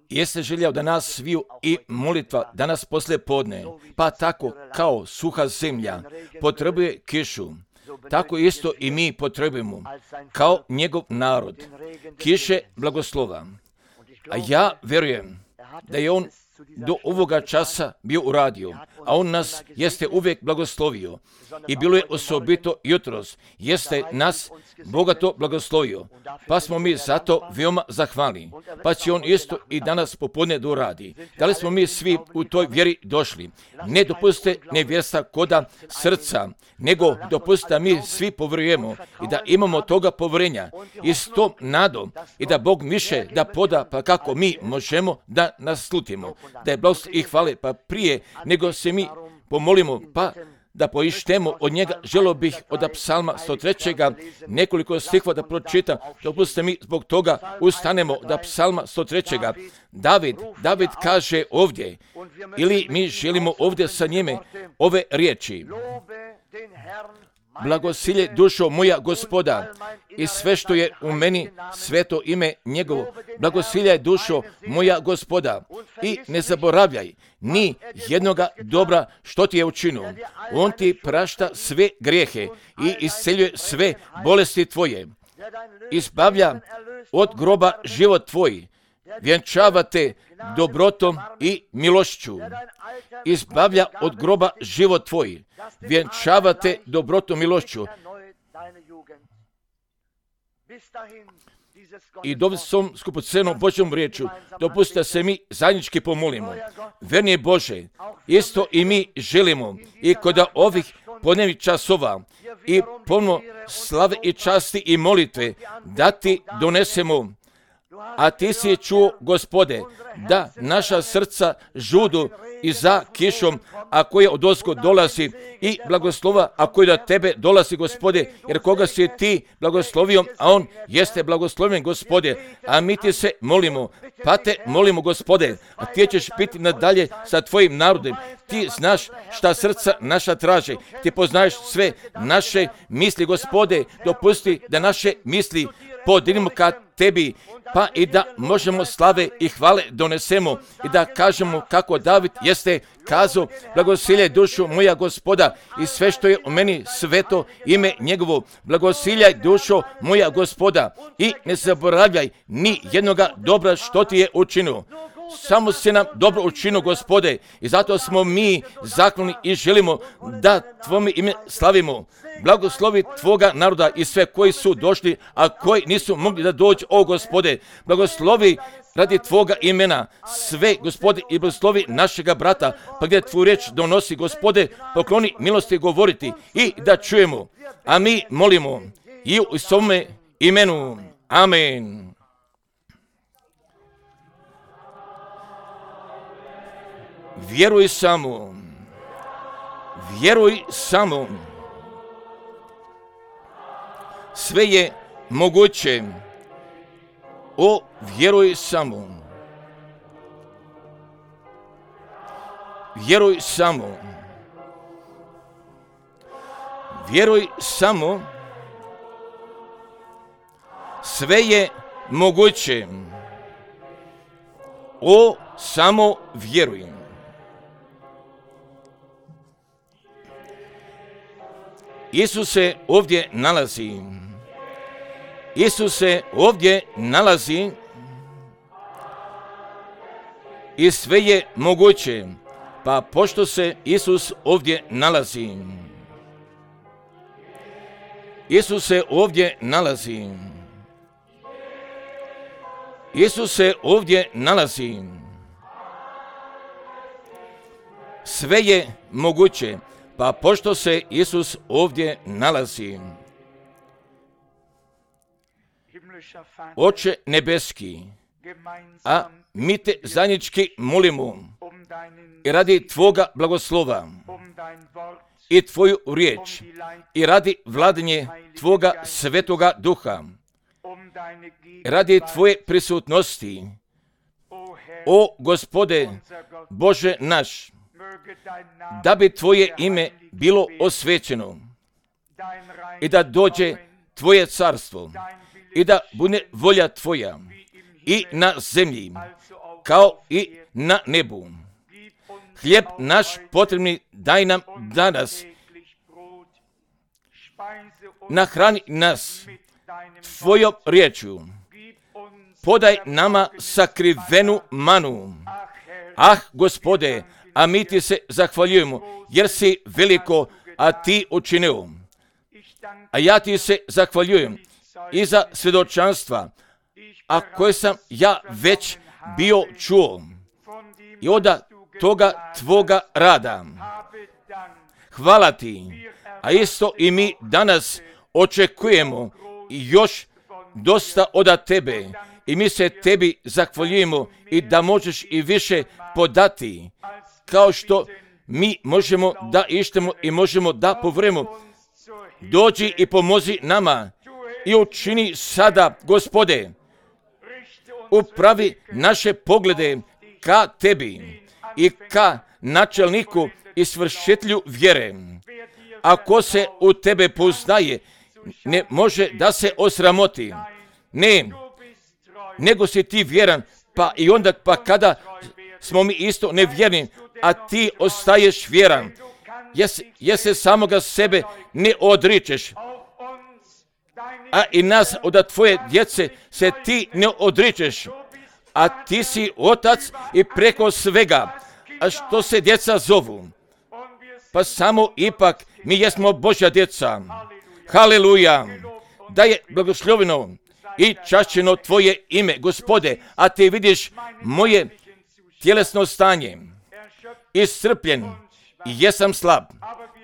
jeste željao da nas sviju i molitva danas poslije podne, pa tako kao suha zemlja potrebuje kišu, tako isto i mi potrebujemo kao njegov narod kiše blagoslova. A ja vjerujem da je on do ovoga časa bio uradio, a on nas jeste uvijek blagoslovio i bilo je osobito jutros, jeste nas bogato blagoslovio, pa smo mi zato veoma zahvalni, pa će on isto i danas popodne da uradi. Da li smo mi svi u toj vjeri došli? Ne dopustite nevjesta koda srca, nego dopustite da mi svi povjerujemo i da imamo toga povjerenja i s tom nadom i da Bog više da poda, pa kako mi možemo da naslutimo, da je blagost i hvale, pa prije nego se mi pomolimo, pa da poištemo od njega, želio bih od psalma 103. nekoliko stihova da pročitam, dopustite mi zbog toga ustanemo da psalma 103. David kaže ovdje, ili mi želimo ovdje sa njime ove riječi: blagosilje dušo moja Gospoda i sve što je u meni, sveto ime njegovo. Blagosiljaj dušo moja Gospoda i ne zaboravljaj ni jednoga dobra što ti je učinio. On ti prašta sve grijehe i isceljuje sve bolesti tvoje. Izbavlja od groba život tvoj. Vjenčava te dobrotom i milošću. Izbavlja od groba život tvoj. Vjenčava te dobrotom i milošću. I dobili sam skupocenom Božjom riječu, dopustite se mi zajednički pomolimo. Verni Bože, isto i mi želimo i kod ovih podnevnih časova i puno slave i časti i molitve da ti donesemo. A ti si čuo, Gospode, da naša srca žudu i za kišom, a koja od ozgo dolazi, i blagoslova, a koja do tebe dolazi, Gospode, jer koga si ti blagoslovio, a on jeste blagosloven, Gospode, a mi ti se molimo, pa te molimo, Gospode, a ti ćeš biti nadalje sa tvojim narodom. Ti znaš šta srca naša traže, ti poznaješ sve naše misli, Gospode, dopusti da naše misli podignemo ka tebi, pa i da možemo slave i hvale donesemo i da kažemo kako David jeste kazao: blagosiljaj dušu moja Gospoda i sve što je u meni, sveto ime njegovo. Blagosiljaj dušo moja Gospoda i ne zaboravljaj ni jednoga dobra što ti je učinio. Samo si nam dobro učinio, Gospode, i zato smo mi zahvalni i želimo da tvome ime slavimo. Blagoslovi tvoga naroda i sve koji su došli, a koji nisu mogli da dođu, o Gospode. Blagoslovi radi tvoga imena sve, Gospode, i blagoslovi našega brata, pa gdje tvoju riječ donosi, Gospode, pokloni milosti govoriti i da čujemo. A mi molimo i u svome imenu. Amen. Vjeruj samo. Vjeruj samo. Sve je moguće. O, vjeruj samo. Vjeruj samo. Vjeruj samo. Sve je moguće. O, samo vjeruj. Isus se ovdje nalazi. Isus se ovdje nalazi i sve je moguće. Pa pošto se Isus ovdje nalazi, Isus se ovdje nalazi. Isus se ovdje nalazi. Sve je moguće. Pa pošto se Isus ovdje nalazi. Oče nebeski, a mi te zajednički molimo i radi tvoga blagoslova i tvoju riječ i radi vladanje tvoga svetoga duha, radi tvoje prisutnosti, o Gospode Bože naš, da bi tvoje ime bilo osvećeno i da dođe tvoje carstvo i da bude volja tvoja i na zemlji kao i na nebu. Hljeb naš potrebni daj nam danas. Nahrani nas tvojom riječju. Podaj nama sakrivenu manu. Gospode, a mi ti se zahvaljujemo, jer si veliko, a ti učinio. A ja ti se zahvaljujem i za svjedočanstva, a koje sam ja već bio čuo i od toga tvoga rada. Hvala ti, a isto i mi danas očekujemo još dosta od tebe i mi se tebi zahvaljujemo i da možeš i više podati, kao što mi možemo da ištemo i možemo da povremo. Dođi i pomozi nama i učini sada, Gospode, upravi naše poglede ka tebi i ka načelniku i svršitelju vjere. Ako se u tebe poznaje, ne može da se osramoti. Ne, nego si ti vjeran, pa i onda kada smo mi isto nevjerni, a ti ostaješ vjeran, jer se samoga sebe ne odričeš, a i nas od tvoje djece se ti ne odričeš, a ti si otac i preko svega, a što se djeca zovu, pa samo ipak mi jesmo Božja djeca. Haleluja, da je blagosloveno i čašćeno tvoje ime, Gospode, a ti vidiš moje tjelesno stanje, iscrpljen i jesam slab.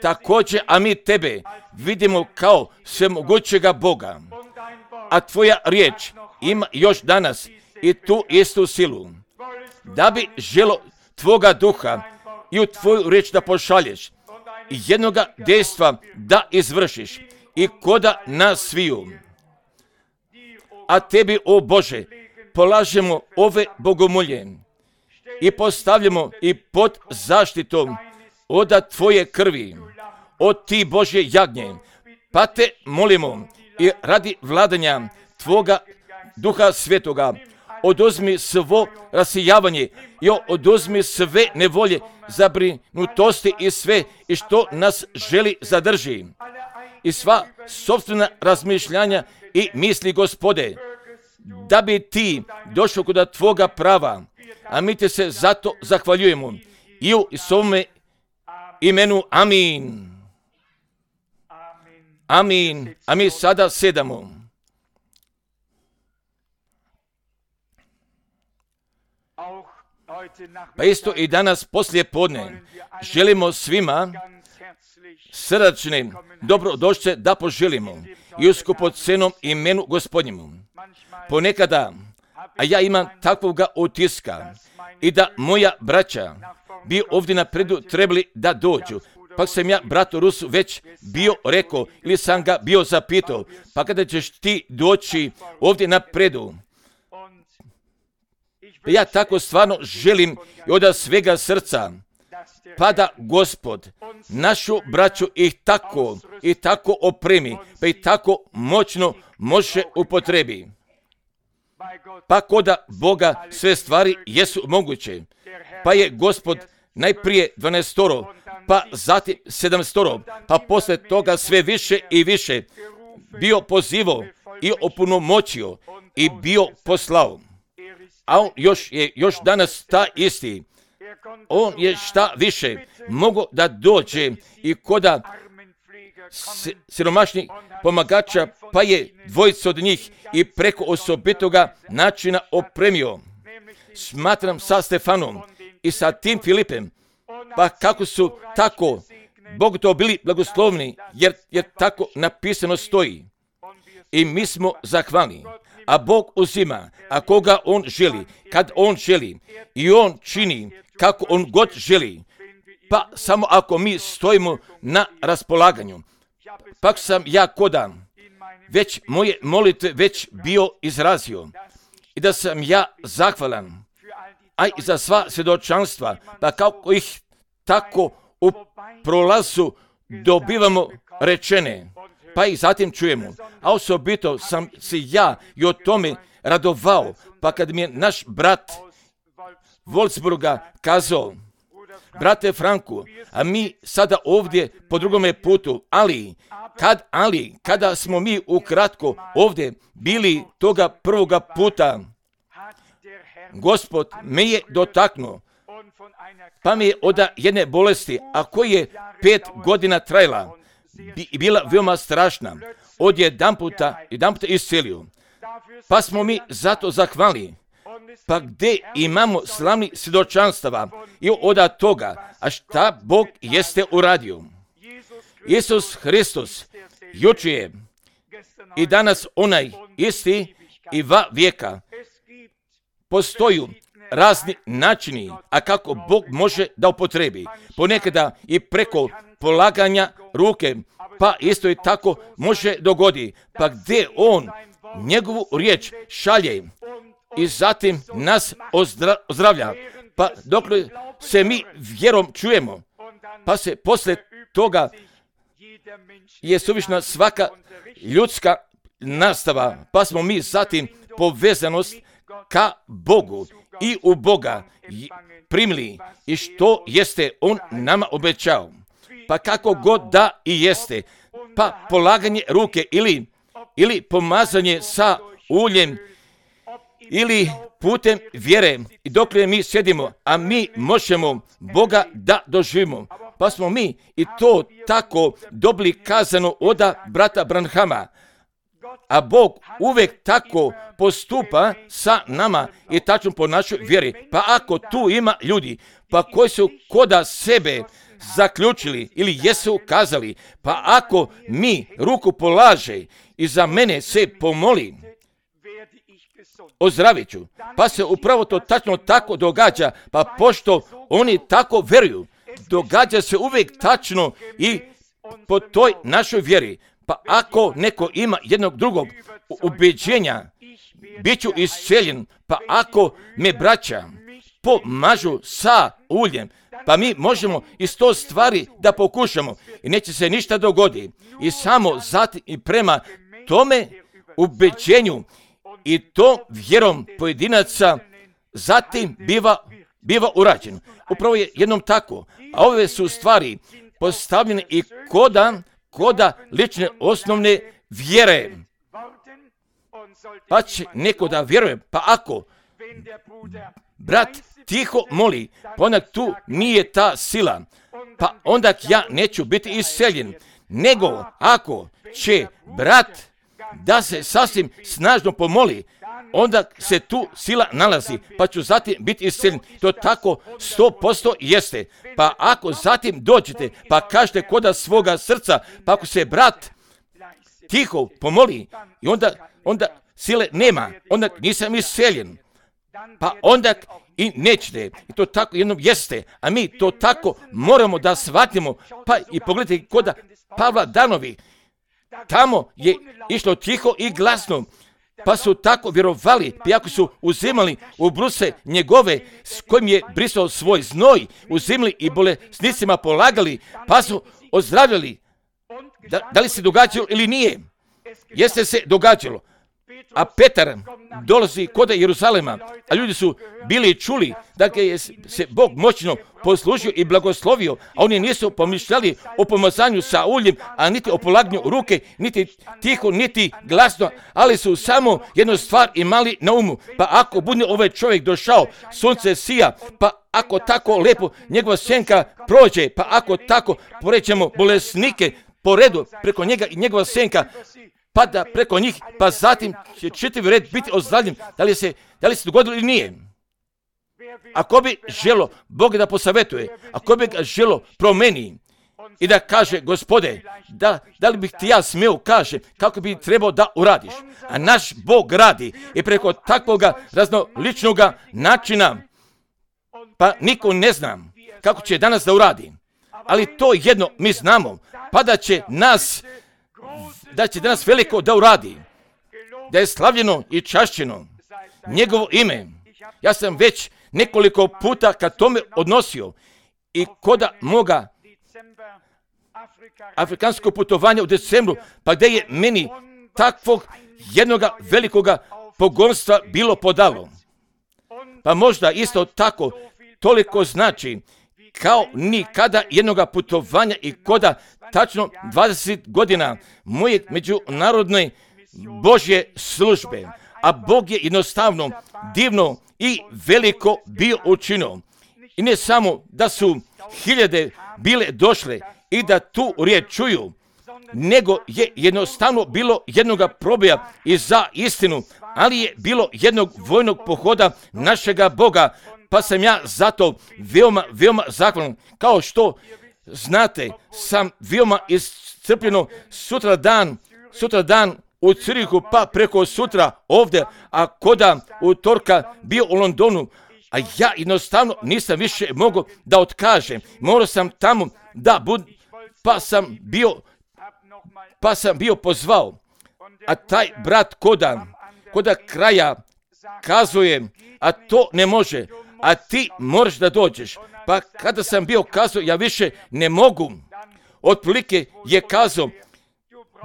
Također, a mi tebe vidimo kao svemogućega Boga, a tvoja riječ ima još danas i tu istu silu, da bi želo tvoga duha i u tvoju riječ da pošalješ i jednoga dejstva da izvršiš i koda nas sviju. A tebi, o Bože, polažemo ove bogomolje i postavljamo i pod zaštitom od tvoje krvi, od ti Božje jagnje, pa te molimo i radi vladanja tvoga Duha Svetoga, oduzmi svo rasijavanje i oduzmi sve nevolje, zabrinutosti i sve i što nas želi zadrži i sva sopstvena razmišljanja i misli, Gospode, da bi ti došao kod tvoga prava, a mi te se zato zahvaljujemo i u svome imenu. Amin. Amin. A mi sada sedamo. Pa isto i danas poslije podne želimo svima srdačne dobrodošlice da poželimo i u skupocenom imenu Gospodnjemu. Ponekada, a ja imam takvoga utiska i da moja braća bi ovdje napredu trebali da dođu. Pa sam ja bratu Rusu već bio rekao ili sam ga bio zapitao, pa kada ćeš ti doći ovdje napredu? Ja tako stvarno želim i od svega srca, pa da Gospod našu braću ih tako opremi, pa i tako moćno može upotrebi. Pa koda Boga sve stvari jesu moguće. Pa je Gospod najprije 12, pa zatim 7, pa posle toga sve više i više bio pozivao i opunomoćio i bio poslao. A on još danas ta isti. On je šta više mogo da dođe i koda siromašnih pomagača, pa je dvojica od njih i preko osobitoga načina opremio. Smatram sa Stefanom i sa tim Filipem, pa kako su tako Bog to bili blagoslovni, jer tako napisano stoji. I mi smo zahvalni. A Bog uzima, a koga On želi, kad On želi, i On čini kako On god želi, pa samo ako mi stojimo na raspolaganju. Pak sam ja koda već moje molitve već bio izrazio i da sam ja zahvalan, a i za sva svjedočanstva, pa kako ih tako u prolazu dobivamo rečene, pa ih zatim čujemo. A osobito sam se ja i o tome radovao, pa kad mi je naš brat Wolfsburga kazao, brate Franku, a mi sada ovdje po drugome putu, kada smo mi ukratko ovdje bili toga prvoga puta, Gospod me je dotaknuo, pa mi je od jedne bolesti, a koja je 5 godina trajala, bila veoma strašna, jedanputa iscelio. Pa smo mi zato zahvali. Pa gdje imamo slavni svjedočanstava i od toga, a šta Bog jeste uradio. Isus Hristos jučer je i danas onaj isti i va vijeka. Postoji razni načini, a kako Bog može da upotrebi. Ponekada i preko polaganja ruke, pa isto i tako može dogodi. Pa gdje on njegovu riječ šalje i zatim nas ozdravlja. Pa dok se mi vjerom čujemo, pa se poslije toga je suvišna svaka ljudska nastava, pa smo mi zatim povezanost ka Bogu i u Boga primili i što jeste on nama obećao. Pa kako god da i jeste, pa polaganje ruke ili pomazanje sa uljem ili putem vjere i dok mi sjedimo, a mi možemo Boga da doživimo. Pa smo mi i to tako dobili kazano od brata Branhama. A Bog uvijek tako postupa sa nama i tačno po našoj vjeri. Pa ako tu ima ljudi, pa koji su koda sebe zaključili ili jesu kazali, pa ako mi ruku polaže i za mene se pomoli, ozdravit ću. Pa se upravo to tačno tako događa, pa pošto oni tako vjeruju, događa se uvijek tačno i po toj našoj vjeri. Pa ako neko ima jednog drugog ubeđenja, bit ću isceljen, pa ako me braća pomažu sa uljem, pa mi možemo iz to stvari da pokušamo i neće se ništa dogoditi. I samo zatim i prema tome ubeđenju i to vjerom pojedinaca zatim biva urađeno. Upravo je jednom tako, a ove su stvari postavljene i koda lične osnovne vjere. Pa će neko da vjeruje, pa ako brat tiho moli, pa onda tu nije ta sila, pa onda ja neću biti isceljen, nego ako će brat da se sasvim snažno pomoli, onda se tu sila nalazi, pa ću zatim biti isceljen. To tako 100% jeste. Pa ako zatim dođete, pa kažete koda svoga srca, pa ako se brat tiho pomoli, i onda sile nema, onda nisam isceljen. Pa onda i nećete. I to tako jednom jeste. A mi to tako moramo da shvatimo. Pa i pogledajte koda Pavla Danovi. Tamo je išlo tiho i glasno. Pa su tako vjerovali, pa ako su uzimali u bruse njegove s kojim je brisao svoj znoj, uzimali i bolesnicima polagali, pa su ozdravljali. Da li se događalo ili nije? Jeste se događalo. A Petar dolazi kod Jeruzalema, a ljudi su bili čuli da je se Bog moćno poslužio i blagoslovio, a oni nisu pomišljali o pomazanju sa uljem, a niti o polaganju ruke, niti tiho, niti glasno, ali su samo jednu stvar imali na umu. Pa ako bude ovaj čovjek došao, sunce sija, pa ako tako lepo njegova senka prođe, pa ako tako porećemo bolesnike po redu preko njega i njegova senka pada preko njih, pa zatim će čitav red biti ozdravljen. Da li se dogodilo ili nije? Ako bi želo Boga da posavetuje, ako bi ga želo promeni i da kaže, Gospode, da li bih ti ja smio kaže kako bi trebao da uradiš. A naš Bog radi i preko takvoga raznoličnoga načina, pa niko ne zna kako će danas da uradi. Ali to jedno mi znamo, pa da će danas veliko da uradi, da je slavljeno i čašćeno njegovo ime. Ja sam već nekoliko puta ka tome odnosio i koda moga afrikanskog putovanja u decembru, pa gdje je meni takvog jednoga velikoga pogonstva bilo podalo. Pa možda isto tako toliko znači kao nikada jednoga putovanja i koda tačno 20 godina moje međunarodne Božje službe. A Bog je jednostavno divno i veliko bio učinio. I ne samo da su hiljade bile došle i da tu riječ čuju, nego je jednostavno bilo jednoga probija i za istinu, ali je bilo jednog vojnog pohoda našega Boga, pa sam ja zato veoma zahvalan. Kao što znate, sam veoma iscrpljeno sutra dan u Cirihu, pa preko sutra ovdje, a koda utorka bio u Londonu, a ja jednostavno nisam više mogao da otkažem. Morao sam tamo da budem, pa sam bio pozvao, a taj brat koda kraja kazuje, a to ne može, a ti moraš da dođeš. Pa kada sam bio kazao, ja više ne mogu, otprilike je kazao,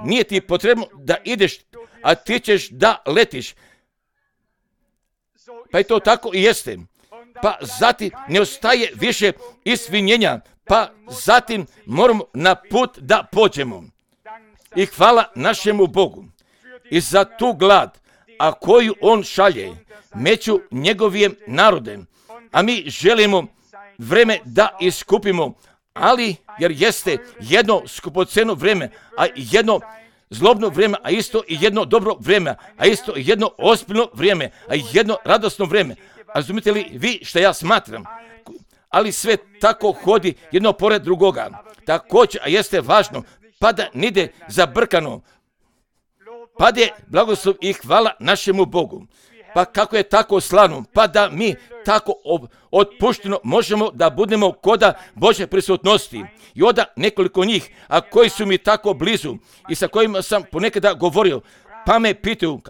nije ti potrebno da ideš, a ti ćeš da letiš. Pa je to tako i jeste. Pa zatim ne ostaje više isvinjenja, pa zatim moramo na put da pođemo. I hvala našemu Bogu i za tu glad, a koju on šalje među njegovim narodem. A mi želimo vreme da iskupimo, ali jer jeste jedno skupoceno vreme, a jedno zlobno vrijeme, a isto i jedno dobro vrijeme, a isto i jedno ozbiljno vrijeme, a jedno radosno vrijeme. A razumite li vi što ja smatram? Ali sve tako hodi jedno pored drugoga. Također, a jeste važno, pa da nide zabrkano. Pa da je blagoslov i hvala našemu Bogu. Pa kako je tako slano, pa da mi tako otpušteno možemo da budemo koda Božje prisutnosti. I onda nekoliko njih, a koji su mi tako blizu i sa kojima sam ponekada govorio, pa me pitaju,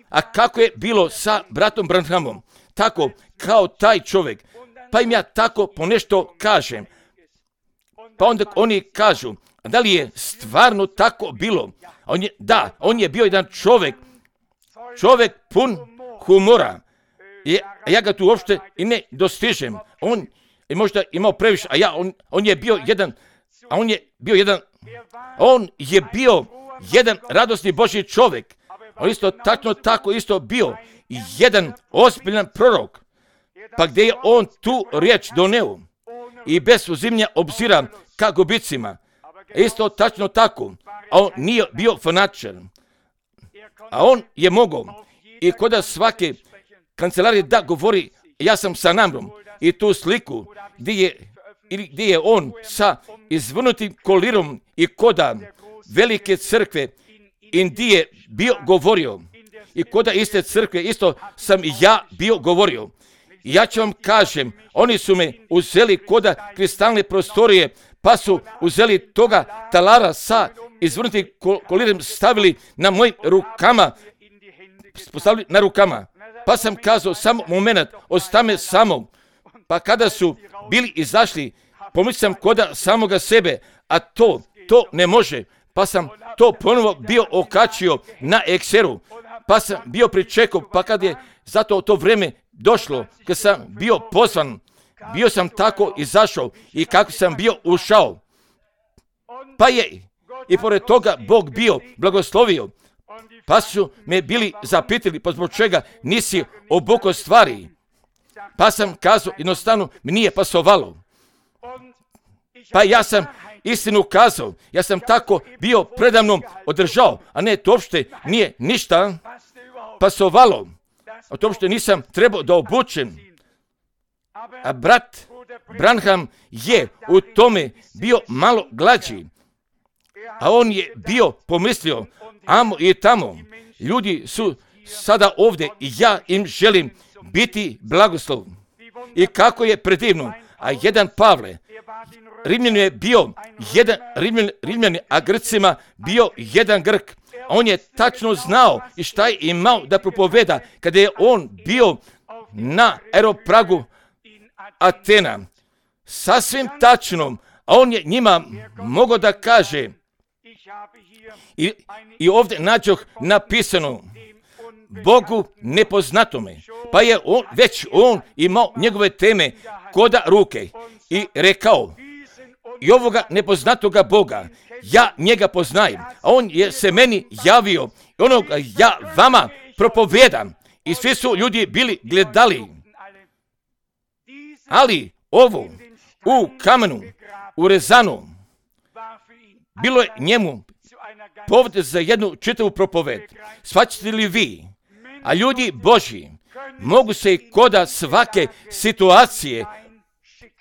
a kako je bilo sa bratom Branhamom? Tako kao taj čovjek. Pa im ja tako ponešto kažem. Pa onda oni kažu, a da li je stvarno tako bilo? On je bio jedan čovjek pun humora. Ja ga tu uopšte i ne dostižem. On je možda imao previše, on je bio jedan radosni Božji čovjek. On isto tako isto bio jedan ozbiljan prorok. Pa gdje je on tu riječ doneo i bez uzimanja obzira ka gubicima. Isto tačno tako. A on nije bio fanatičan. A on je mogao i kod svake kancelarije da govori, ja sam sa namrom, i tu sliku gdje je on sa izvrnutim kolirom i koda velike crkve Indije bio govorio. I koda iste crkve isto sam i ja bio govorio. I ja ću vam kažem, oni su me uzeli koda kristalne prostorije, pa su uzeli toga talara sa izvrnutim kolirom, stavili na mojim rukama, postavili na rukama. Pa sam kazao, samo moment, ostame samo. Pa kada su bili izašli, pomislio sam koda samoga sebe, a to ne može. Pa sam to ponovo bio okačio na ekseru. Pa sam bio pričekao, pa kad je zato to vrijeme došlo, kad sam bio pozvan, bio sam tako izašao i kako sam bio ušao. Pa je i pored toga Bog bio blagoslovio. Pa su me bili zapitali, pa zbog čega nisi obukao stvari. Pa sam kazao, jednostavno mi nije pasovalo. Pa ja sam istinu kazao, ja sam tako bio predavno održao, a ne, to uopšte nije ništa pasovalo. A to uopšte nisam trebao da obučem. A brat Branham je u tome bio malo glađi. A on je bio pomislio, amo i tamo, ljudi su sada ovdje i ja im želim biti blagoslov. I kako je predivno, a jedan Pavle, Rimljanu je bio jedan Rimljani, a Grcima bio jedan Grk. On je tačno znao i šta je imao da propoveda kada je on bio na aeropragu Atena. Sasvim tačno, a on je njima mogao da kaže, i ovdje nađoh napisano, Bogu nepoznatome. Pa je on imao njegove teme koda ruke i rekao, i ovoga nepoznatoga Boga, ja njega poznajem, a on je se meni javio i onoga ja vama propovedam. I svi su ljudi bili gledali. Ali ovo u kamenu, urezano, bilo je njemu povod za jednu čitavu propoved. Shvaćate li vi? A ljudi Božji mogu se i koda svake situacije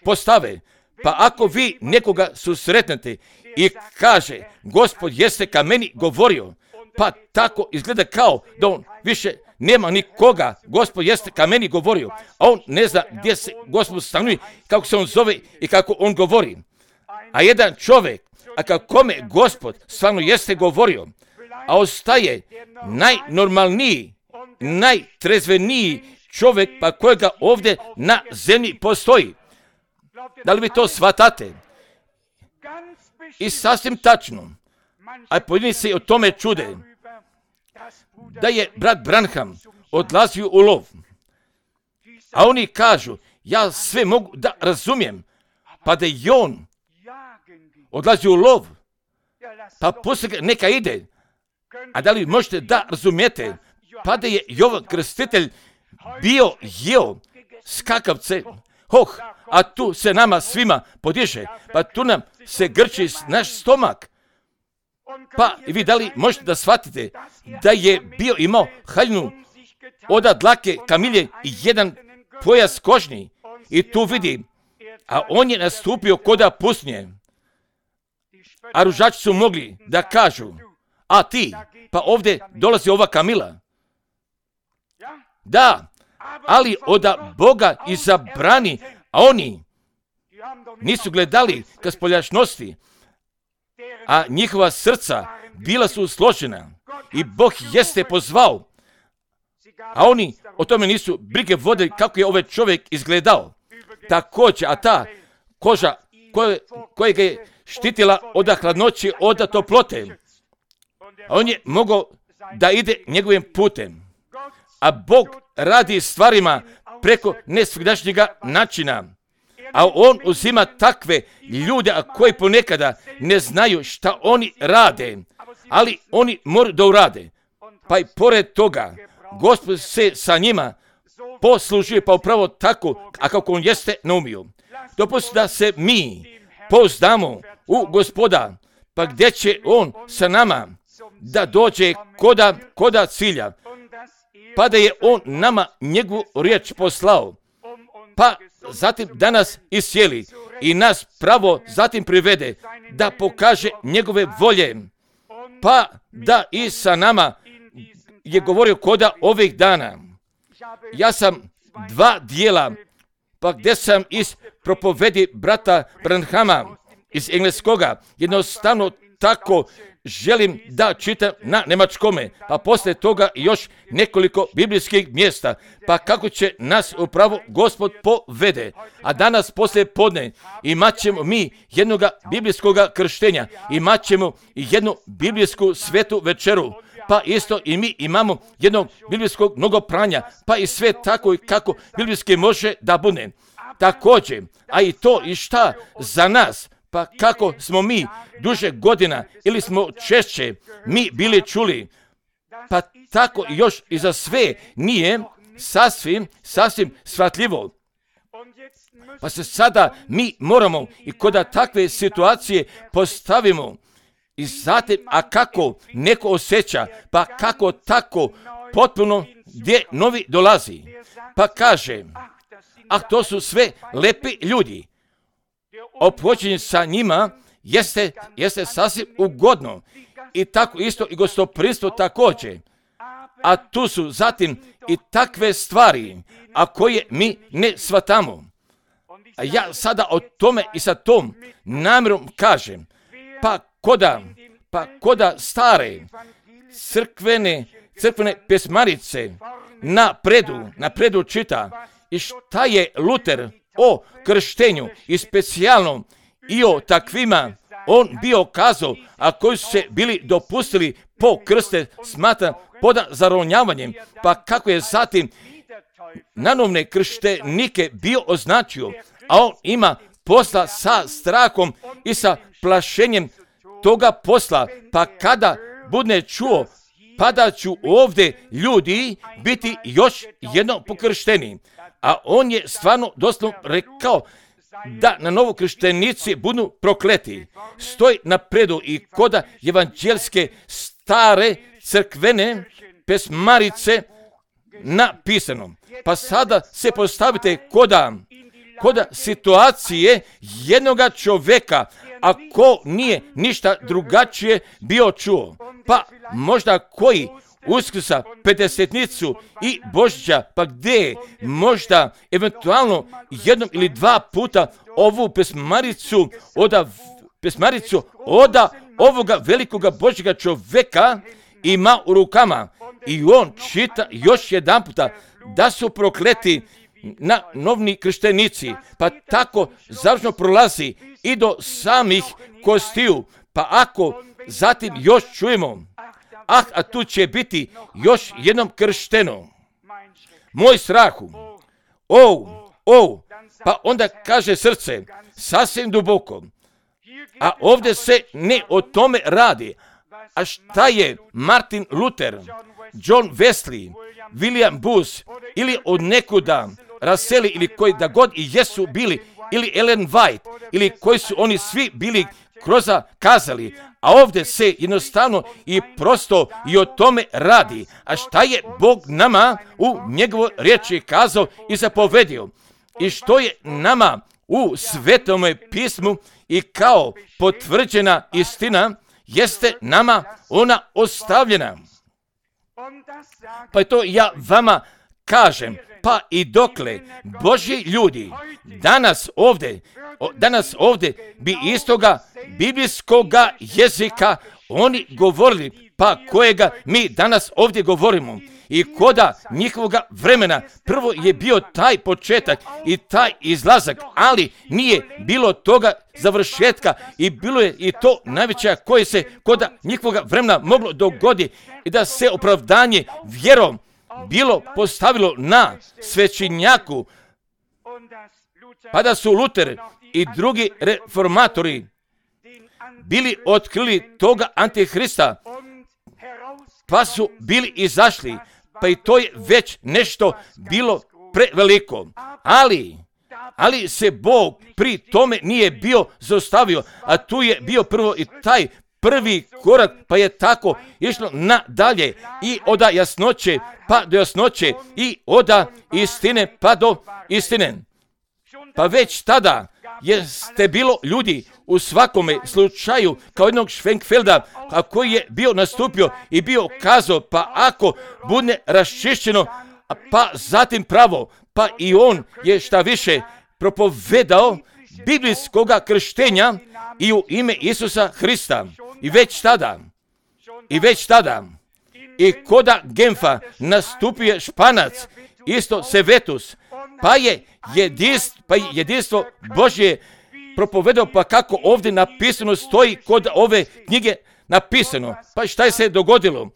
postave. Pa ako vi nekoga susretnete i kaže, Gospod jeste ka meni govorio, pa tako izgleda kao da on više nema nikoga, Gospod jeste ka meni govorio, a on ne zna gdje se Gospod stanuje, kako se on zove i kako on govori. A jedan čovjek, a kakome Gospod stvarno jeste govorio, a ostaje najnormalniji, najtrezveniji čovjek pa kojega ovdje na zemlji postoji. Da li vi to shvatate? I sasvim tačno, a pojedini se o tome čude, da je brat Branham odlazio u lov. A oni kažu, ja sve mogu da razumijem, pa da je on odlazio u lov, pa poslije ga neka ide. A da li možete da razumijete, pa da je Jovan Krstitelj jeo skakavce, a tu se nama svima podiže, pa tu nam se grči naš stomak. Pa vi da li možete da shvatite da je imao haljinu od dlake kamilje i jedan pojas kožni i tu vidi, a on je nastupio koda pustinje. A ružači su mogli da kažu, a ti, pa ovdje dolazi ova kamila. Da, ali od Boga izabrani, a oni nisu gledali ka spoljašnosti, a njihova srca bila su složena i Bog jeste pozvao, a oni o tome nisu brige vodili kako je ovaj čovjek izgledao. Također, a ta koža koja ga je štitila od hladnoće, od toplote, a on je mogao da ide njegovim putem. A Bog radi stvarima preko nesvagdašnjega načina. A on uzima takve ljude koji ponekada ne znaju šta oni rade, ali oni moraju da urade. Pa i pored toga, Gospod se sa njima poslužuje pa upravo tako, a kako on jeste naumio. Dopustite da se mi pouzdamo u Gospoda, pa gdje će on sa nama da dođe koda cilja, pa da je on nama njegovu riječ poslao, pa zatim da nas iscijeli i nas pravo zatim privede, da pokaže njegove volje, pa da i sa nama je govorio koda ovih dana. Ja sam 2 dijela, pa gdje sam iz propovedi brata Branhama iz engleskoga, jednostavno tako želim da čitam na njemačkome, pa poslije toga još nekoliko biblijskih mjesta, pa kako će nas upravo Gospod povede. A danas poslije podne imat ćemo mi jednoga biblijskoga krštenja, imat ćemo jednu biblijsku svetu večeru, pa isto i mi imamo jednog biblijskog mnogopranja, pa i sve tako i kako biblijski može da bude. Također, a i to i šta za nas, pa kako smo mi duže godina ili smo češće mi bili čuli, pa tako još i za sve nije sasvim shvatljivo. Pa se sada mi moramo i kod takve situacije postavimo i zatim, a kako neko osjeća, pa kako tako potpuno gdje novi dolazi, pa kaže, a to su sve lepi ljudi. Ophođenje sa njima jeste sasvim ugodno i tako isto i gostoprimstvo također. A tu su zatim i takve stvari, a koje mi ne shvatamo. A ja sada o tome i sa tom namjerom kažem, pa koda stare crkvene pesmarice napredu čita i šta je Luter o krštenju i specijalno i o takvima on bio kazao, a koji su se bili dopustili po krste, smatram pod zaronjavanjem, pa kako je zatim nanovne krštenike bio označio, a on ima posla sa strahom i sa plašenjem toga posla, pa kada bude čuo, pa da ću ovdje ljudi biti još jedno pokršteni. A on je stvarno doslovno rekao da na novokrštenici budu prokleti. Stoji napredu i koda evanđelske stare crkvene pesmarice napisano. Pa sada se postavite koda situacije jednoga čovjeka, ako nije ništa drugačije bio čuo. Pa možda koji Uskrsa, Pedesetnicu i Božića, pa gdje možda eventualno jednom ili dva puta ovu pesmaricu oda ovoga velikoga Božjega čovjeka ima u rukama i on čita još jedan puta da su prokleti na novni krštenici, pa tako završno prolazi i do samih kostiju, pa ako zatim još čujemo, a tu će biti još jednom kršteno. Moj strahu, pa onda kaže srce, sasvim duboko, a ovdje se ne o tome radi. A šta je Martin Luther, John Wesley, William Booth ili od nekuda Raseli ili koji da god i jesu bili, ili Ellen White, ili koji su oni svi bili kroz kazali, a ovdje se jednostavno i prosto i o tome radi. A šta je Bog nama u njegovoj riječi kazao i zapovedio? I što je nama u Svetome pismu i kao potvrđena istina, jeste nama ona ostavljena. Pa to ja vama kažem, pa i dokle Božji ljudi danas ovdje bi istoga biblijskoga jezika oni govorili, pa kojega mi danas ovdje govorimo. I koda njihovoga vremena prvo je bio taj početak i taj izlazak, ali nije bilo toga završetka i bilo je i to najveća koje se koda njihovoga vremena moglo dogoditi i da se opravdanje vjerom bilo postavilo na svećenjaku, pa da su Luter i drugi reformatori bili otkrili toga Antihrista, pa su bili izašli, pa i to je već nešto bilo preveliko. Ali se Bog pri tome nije bio zaustavio, a tu je bio prvo i taj prvi korak, pa je tako išlo nadalje i od jasnoće pa do jasnoće i od istine pa do istine. Pa već tada jeste bilo ljudi u svakome slučaju kao jednog Schwenkfelda, a koji je bio nastupio i bio kazao, pa ako bude raščišćeno, pa zatim pravo, pa i on je šta više propovedao biblijskoga krštenja i u ime Isusa Hrista. I već tada i koda Genfa nastupio Španac, isto Sevetus, pa je jedinstvo Božje propovedao, pa kako ovdje napisano stoji kod ove knjige napisano. Pa šta je se dogodilo?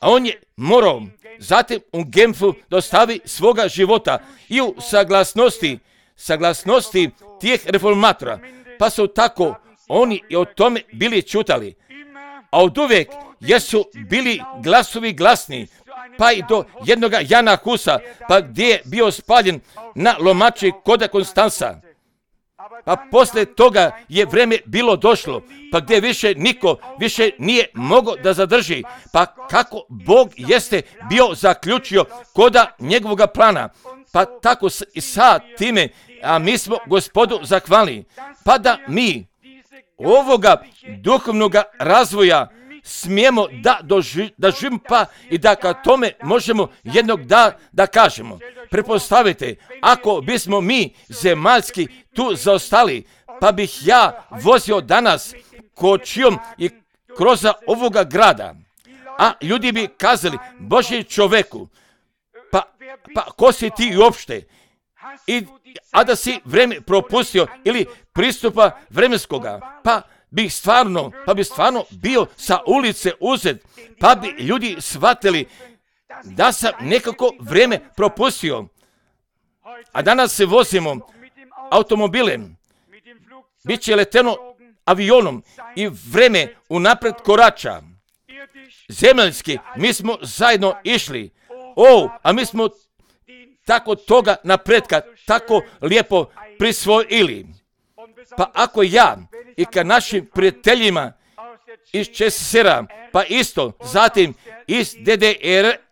A on je morao zatim u Genfu dostavi svoga života i u saglasnosti tih reformatora. Pa su tako oni i o tome bili čutali. A od uvijek jesu bili glasovi glasni, pa i do jednoga Jana Husa, pa gdje je bio spaljen na lomači kod Konstanca. Pa poslije toga je vrijeme bilo došlo, pa gdje više niko više nije mogao da zadrži, pa kako Bog jeste bio zaključio koda njegovoga plana, pa tako i sa time, a mi smo Gospodu zahvalni, pa da mi ovoga duhovnoga razvoja smijemo da živimo, pa i da ka tome možemo jednog da kažemo. Prepostavite, ako bismo mi zemaljski tu zaostali, pa bih ja vozio danas kočijom i kroz ovoga grada, a ljudi bi kazali, Božji čoveku, pa ko si ti uopšte? A da si vreme propustio ili pristupa vremenskoga, pa bi stvarno bio sa ulice uzet, pa bi ljudi shvatili da sam nekako vrijeme propustio. A danas se vozimo automobilem, bit će leteno avionom i vrijeme unapred korača. Zemaljski, mi smo zajedno išli. A mi smo tako toga napretka, tako lijepo prisvojili. Pa ako ja i ka našim prijateljima iz ČSSR-a, pa isto, zatim iz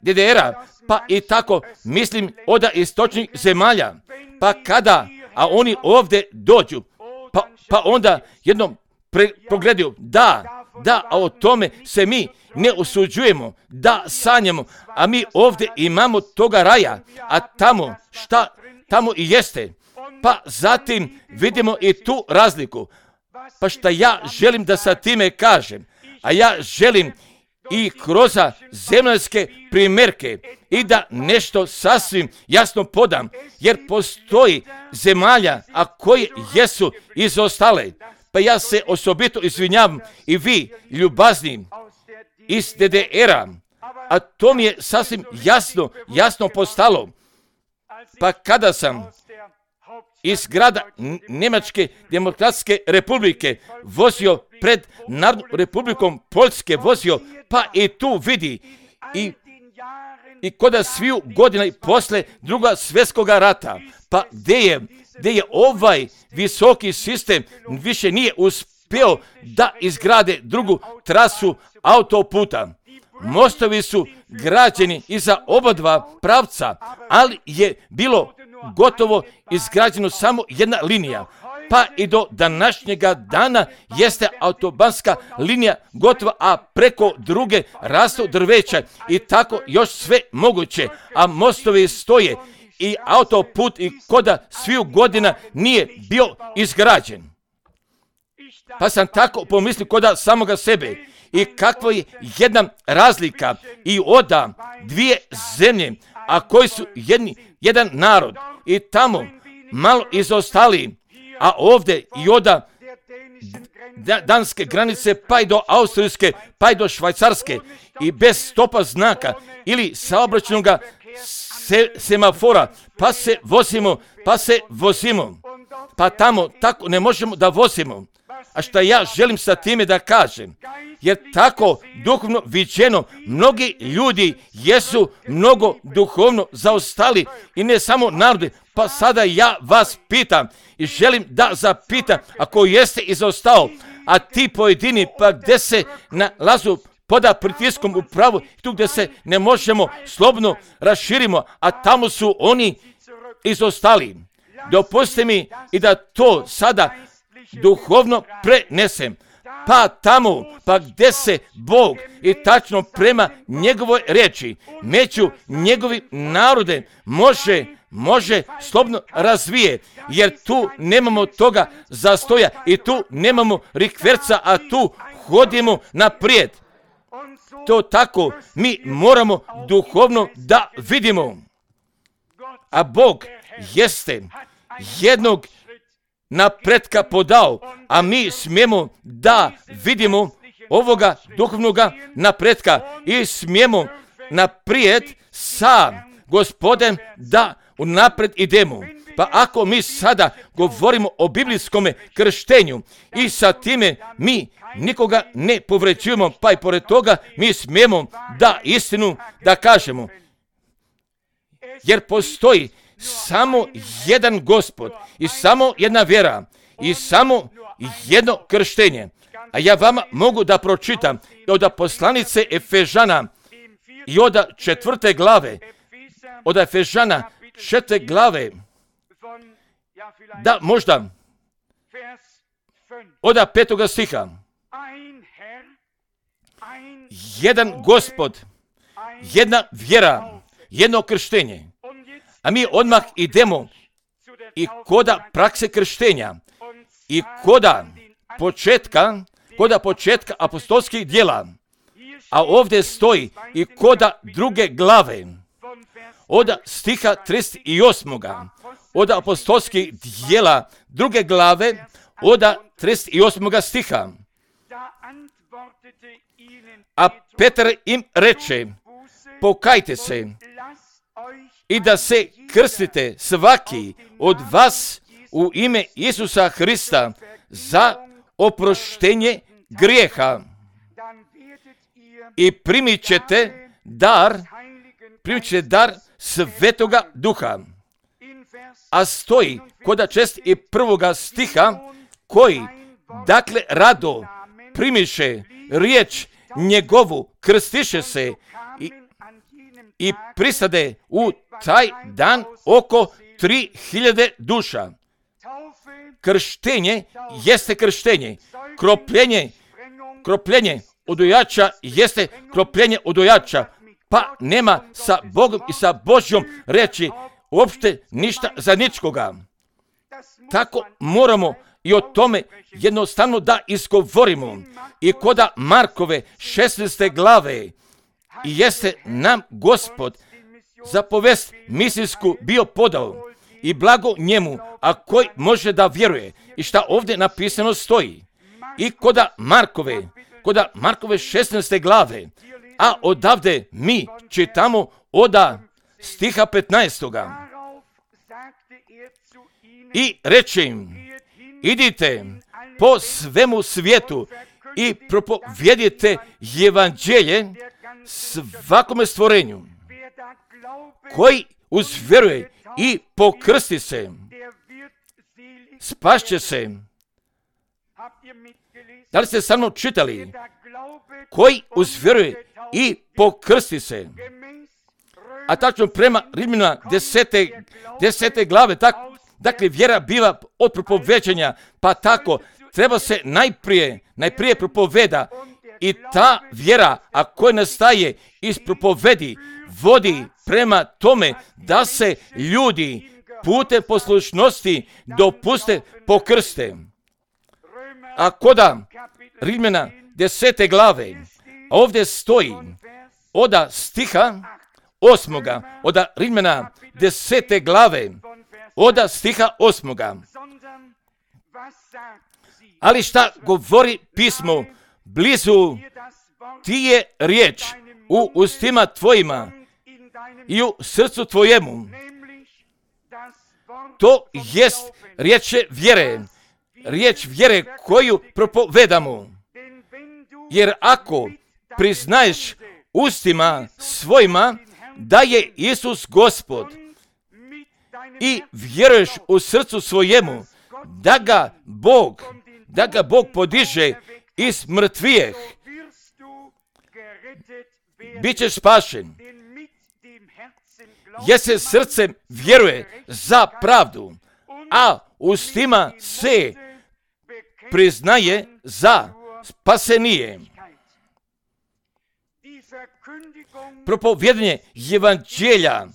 DDR-a, pa i tako, mislim, od istočnih zemalja, pa kada, a oni ovdje dođu, pa onda jednom pogledaju, da, a o tome se mi ne osuđujemo, da sanjamo, a mi ovdje imamo toga raja, a tamo, šta tamo i jeste. Pa zatim vidimo i tu razliku. Pa šta ja želim da sa time kažem, a ja želim i kroz zemaljske primjerke i da nešto sasvim jasno podam, jer postoji zemalja, a koje jesu izostale. Pa ja se osobito izvinjavam i vi, ljubazni, iz DDR-a, a to mi je sasvim jasno postalo. Pa kada sam iz grada Njemačke demokratske republike vozio pred Narodnom republikom Poljske vozio, pa i tu vidi i koda sviju godina i posle Druga svjetskog rata, pa gdje je ovaj visoki sistem više nije uspio da izgrade drugu trasu autoputa. Mostovi su građeni iza oba dva pravca, ali je bilo gotovo izgrađeno samo jedna linija. Pa i do današnjega dana jeste autobanska linija gotova, a preko druge rastu drveća i tako još sve moguće, a mostovi stoje i autoput i koda sviju godina nije bio izgrađen. Pa sam tako pomislio koda samoga sebe i kakva je jedna razlika i oda dvije zemlje, a koji su jedan narod i tamo malo izostali, a ovdje i oda danske granice pa i do austrijske pa i do švajcarske i bez stopa znaka ili saobraćajnog semafora, pa se vozimo, pa tamo tako ne možemo da vozimo. A šta ja želim sa time da kažem, jer tako duhovno viđeno mnogi ljudi jesu mnogo duhovno zaostali i ne samo narodi. Pa sada ja vas pitam i želim da zapitam, ako jeste izostao, a ti pojedini pa gdje se nalazu poda pritiskom u pravu, tu gdje se ne možemo slobodno raširimo, a tamo su oni izostali. Dopustite mi i da to sada duhovno prenesem. Pa tamo, pa gdje se Bog i tačno prema njegovoj riječi, među njegovim narodem može slobodno razvije, jer tu nemamo toga zastoja i tu nemamo rikverca, a tu hodimo naprijed. To tako mi moramo duhovno da vidimo. A Bog jeste jednog napretka podao, a mi smijemo da vidimo ovoga duhovnoga napretka i smijemo naprijed sa Gospodem da unaprijed idemo. Pa ako mi sada govorimo o biblijskom krštenju i sa time mi nikoga ne povređujemo, pa i pored toga mi smijemo da istinu da kažemo. Jer postoji samo jedan Gospod i samo jedna vjera i samo jedno krštenje. A ja vama mogu da pročitam od poslanice Efežana i od 4. glave, od Efežana 4. glave, da možda od 5. stiha. Jedan Gospod, jedna vjera, jedno krštenje. A mi odmah idemo i koda prakse krštenja i koda početka apostolskih djela. A ovdje stoji i koda 2. glave, od stiha 38. od apostolskih djela 2. glave, od 38. stiha. A Petar im reče, pokajte se i da se krstite svaki od vas u ime Isusa Hrista za oproštenje grijeha i primit ćete dar Svetoga Duha. A stoji kod 61. stiha, koji, dakle, rado primiše riječ njegovu, krstiše se i prisade u taj dan oko 3000 duša. Krštenje jeste krštenje. Kropljenje odojača jeste kropljenje odojača. Pa nema sa Bogom i sa Božjom reći uopšte ništa zajedničkoga. Tako moramo i o tome jednostavno da izgovorimo. I koda Markove 16. glave jeste nam Gospod za povest misijsku bio podao i blago njemu, a koji može da vjeruje. I šta ovdje napisano stoji. I koda Markove 16. glave, a odavde mi čitamo oda stiha 15. I reče im, idite po svemu svijetu i propovjedite evanđelje svakome stvorenju. Koji uzvjeruje i pokrsti se, spašće se. Da li ste sa mnom čitali? Koji uzvjeruje i pokrsti se. A tačno prema Rimljana 10. glave, dakle vjera biva od propoveđanja, pa tako treba se najprije propoveda i ta vjera, a koja nastaje iz propovedi, vodi prema tome da se ljudi putem poslušnosti dopuste pokrste. A koda Rimljana 10. glave, ovdje stoji oda stiha 8. oda Rimljana 10. glave, oda stiha 8. Ali šta govori pismo? Blizu ti je riječ u ustima tvojima i u srcu tvojemu. To jest riječ vjere koju propovedamo. Jer ako priznaješ ustima svojima da je Isus Gospod i vjeruješ u srcu svojemu da ga Bog podiže iz mrtvijeh, bit ćeš spašen. Jer se srcem vjeruje za pravdu, a ustima se priznaje za spasenije. Propovjedanje evanđelja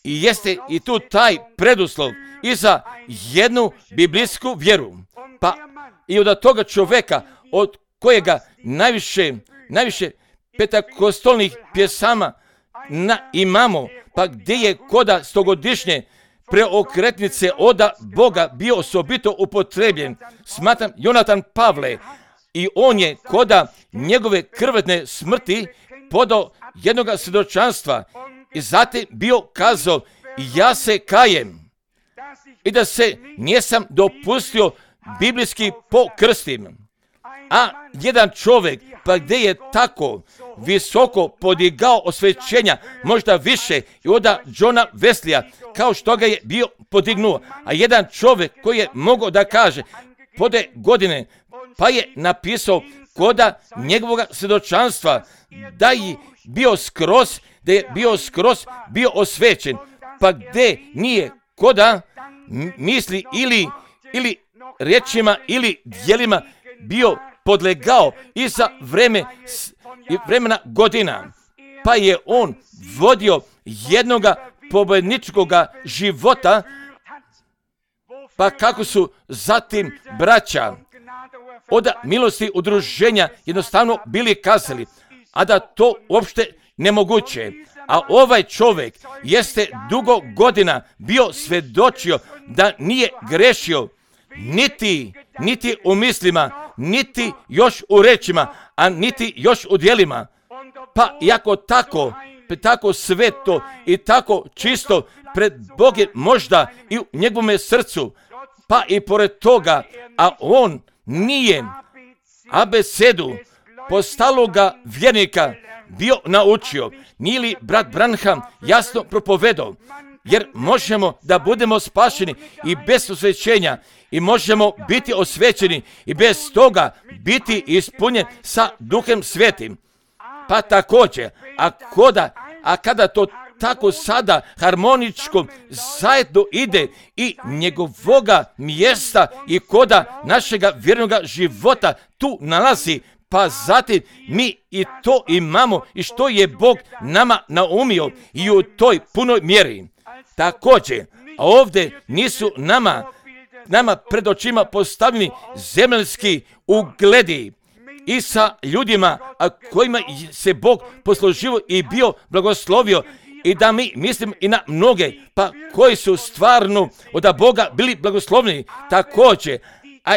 i jeste i tu taj preduslov i za jednu biblijsku vjeru. Pa i od toga čovjeka od kojega najviše petakostolnih pjesama imamo, pa gdje je koda stogodišnje preokretnice oda Boga bio osobito upotrebljen, smatram Jonatan Pavle, i on je koda njegove krvne smrti podao jednoga svjedočanstva i zatim bio kazao, ja se kajem i da se nisam dopustio biblijski pokrstim. A jedan čovjek, pa gdje je tako visoko podigao osvećenja, možda više i od Johna Wesleya, kao što ga je bio podignuo. A jedan čovjek koji je mogao da kaže pode godine, pa je napisao koda njegovog svjedočanstva da je bio skroz bio osvećen, pa gdje nije koda misli ili riječima ili djelima bio podlegao i za vremena godina, pa je on vodio jednoga pobjedničkoga života, pa kako su zatim braća od milosti udruženja jednostavno bili kazali, a da to uopšte nemoguće. A ovaj čovjek jeste dugo godina bio svjedočio da nije grešio niti u mislima, niti još u rečima, a niti još u djelima. Pa iako tako sveto i tako čisto pred Bogom možda i u njegovome srcu, pa i pored toga, a on nije abecedu postaloga vjernika bio naučio, nije li brat Branham jasno propovedao, jer možemo da budemo spašeni i bez osvećenja i možemo biti osvećeni i bez toga biti ispunjen sa Duhom Svetim. Pa također, a kada to tako sada harmoničko zajedno ide i njegovoga mjesta i koda našega vjernoga života tu nalazi, pa zatim mi i to imamo i što je Bog nama naumio i u toj punoj mjeri. Također, ovdje nisu nama pred očima postavljeni zemaljski ugledi i sa ljudima kojima se Bog poslužio i bio blagoslovio, i da mi mislim i na mnoge, pa koji su stvarno od Boga bili blagoslovljeni također, a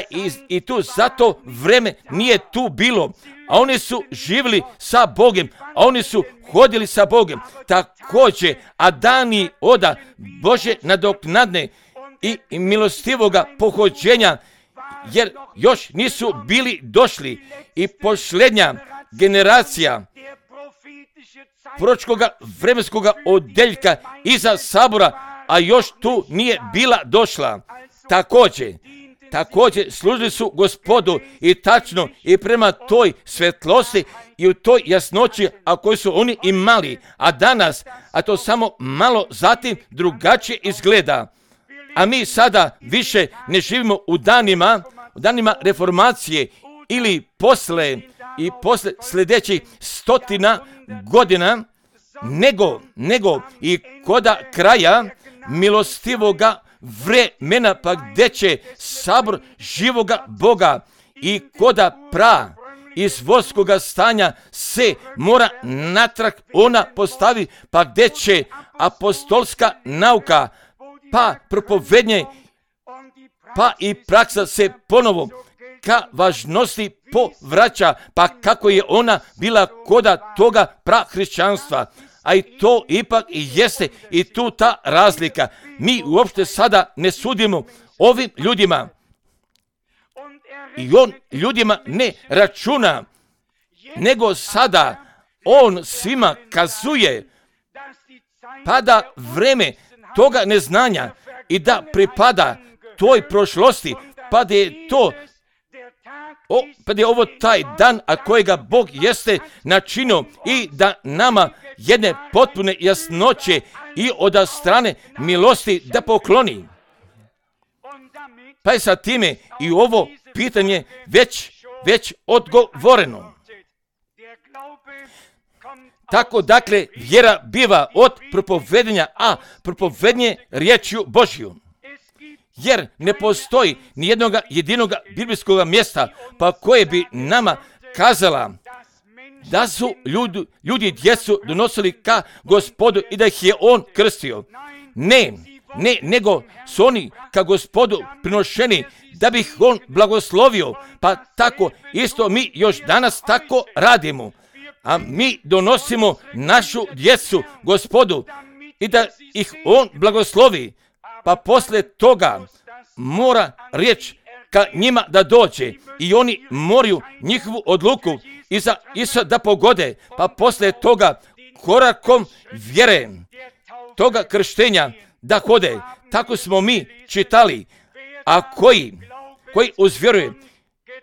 i tu zato vreme nije tu bilo, a oni su živjeli sa Bogom, a oni su hodili sa Bogom također, a dani oda Bože nadoknadne i milostivoga pohođenja, jer još nisu bili došli i posljednja generacija proročkoga vremenskoga odeljka iza sabora, a još tu nije bila došla. Također služili su Gospodu i tačno i prema toj svetlosti i u toj jasnoći, a koju su oni imali, a danas, a to samo malo zatim drugačije izgleda. A mi sada više ne živimo u danima reformacije ili posle sljedećih 100 godina, nego i koda kraja milostivoga vremena, pa gdje će sabor živoga Boga i koda iz vodskoga stanja se mora natrag ona postavi, pa gdje će apostolska nauka, pa propovednje, pa i praksa se ponovo ka važnosti povraća, pa kako je ona bila koda toga prahrišćanstva. A i to ipak i jeste i tu ta razlika. Mi uopšte sada ne sudimo ovim ljudima i on ljudima ne računa, nego sada on svima kazuje, pa da vreme toga neznanja i da pripada toj prošlosti, pa da je to pa da je ovo taj dan, a kojega Bog jeste načinio, i da nama jedne potpune jasnoće i od strane milosti da pokloni. Pa je sa time i ovo pitanje već odgovoreno. Tako dakle vjera biva od propovedenja, a propovednje riječju Božju. Jer ne postoji ni jednog jedinog biblijskog mjesta pa koje bi nama kazala da su ljudi djecu donosili ka Gospodu i da ih je on krstio. Ne, nego su oni ka Gospodu prinošeni da bi ih on blagoslovio, pa tako isto mi još danas tako radimo. A mi donosimo našu djecu Gospodu i da ih on blagoslovi, pa poslije toga mora riječ ka njima da dođe i oni moraju njihovu odluku iza da pogode, pa poslije toga korakom vjere toga krštenja da hode. Tako smo mi čitali, a koji uzvjeruje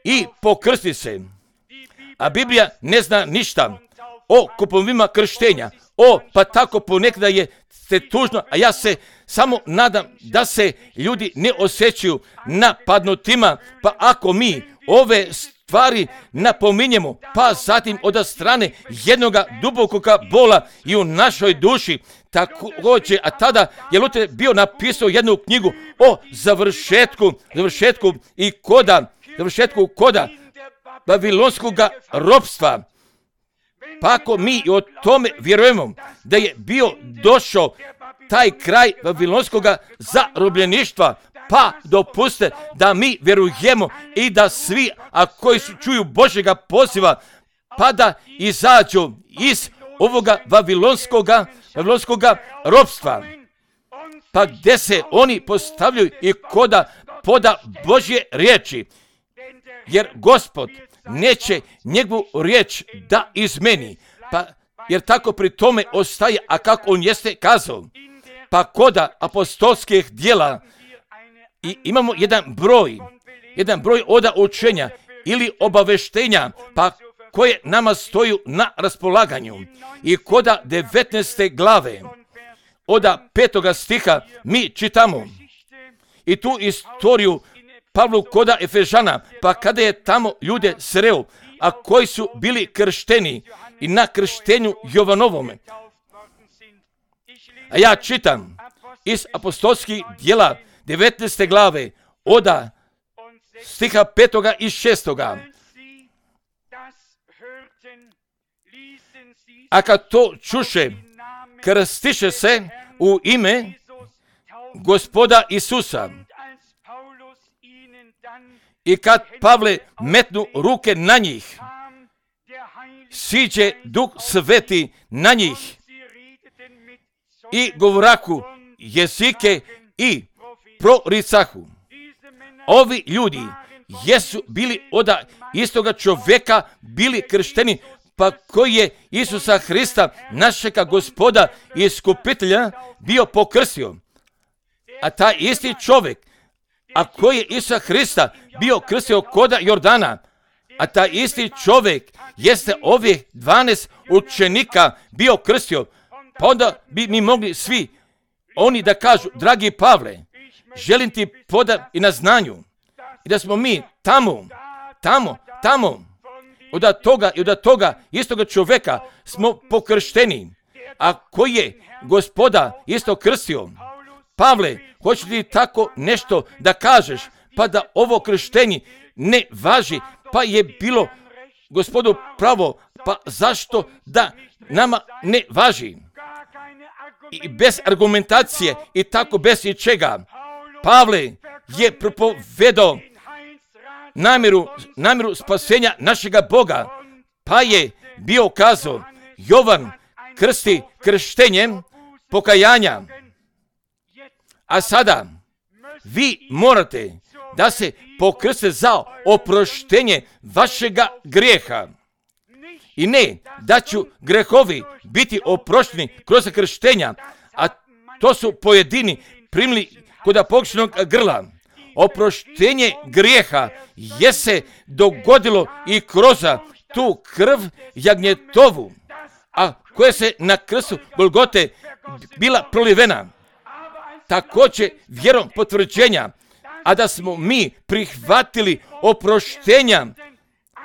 i pokrsti se. A Biblija ne zna ništa o kupovima krštenja. Pa tako ponekada je tužno, a ja se samo nadam da se ljudi ne osjećaju napadnutima, pa ako mi ove stvari napominjemo, pa zatim od strane jednoga dubokoga bola i u našoj duši, također, a tada je Luter bio napisao jednu knjigu o završetku koda babilonskoga ropstva. Pa ako mi o tome vjerujemo da je bio došao taj kraj babilonskoga zarobljeništva, pa dopuste da mi vjerujemo i da svi, a koji čuju Božjega poziva, pa da izađu iz ovoga vavilonskoga ropstva, pa gdje se oni postavljaju i koda poda Božje riječi, jer Gospod neće njegovu riječ da izmeni, pa jer tako pri tome ostaje, a kako on jeste kazao. Pa koda apostolskih djela i imamo jedan broj oda učenja ili obaveštenja, pa koje nama stoju na raspolaganju. I koda 19. glave, oda 5. stiha mi čitamo i tu istoriju Pavlu koda Efežana, pa kada je tamo ljude sreo, a koji su bili kršteni i na krštenju Jovanovome. A ja čitam iz apostolskih djela 19. glave, oda stiha 5. i 6. A kad to čuše, krstiše se u ime Gospoda Isusa. I kad Pavle metnu ruke na njih, siđe Duh Sveti na njih i govoraku jezike i proricahu. Ovi ljudi jesu bili od istoga čovjeka bili kršteni, pa koji je Isusa Hrista, našega Gospoda i iskupitelja, bio pokrstio. A taj isti čovjek, a koji je Isusa Hrista bio krstio koda Jordana, a taj isti čovjek jeste ovih 12 učenika bio krstio, pa onda bi mi mogli svi oni da kažu, dragi Pavle, želim ti poda i na znanju, i da smo mi tamo, od toga istoga čovjeka smo pokršteni, a koji je Gospoda isto krstio. Pavle, hoćeš ti tako nešto da kažeš, pa da ovo krštenje ne važi, pa je bilo Gospodu pravo, pa zašto da nama ne važi? I bez argumentacije i tako bez ičega. Pavle je propovedao namjeru spasenja našega Boga, pa je bio kazao, Jovan krsti krštenjem pokajanja. A sada vi morate da se pokrste za oproštenje vašega grijeha. I ne da ću grehovi biti oprošteni kroz krštenja, a to su pojedini primili kod pokrištenog grla. Oproštenje grijeha je se dogodilo i kroz tu krv jagnjetovu, a koja se na krstu Golgote bila prolivena. Također vjerom potvrđenja, a da smo mi prihvatili oproštenja,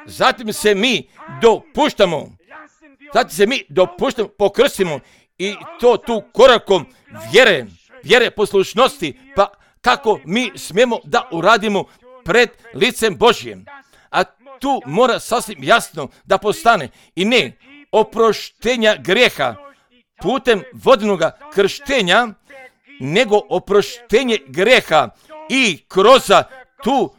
zatim se mi dopuštamo, pokrstimo i to tu korakom vjere poslušnosti, pa kako mi smijemo da uradimo pred licem Božjem. A tu mora sasvim jasno da postane i ne oproštenja grijeha putem vodenoga krštenja, nego oproštenje grijeha i kroz tu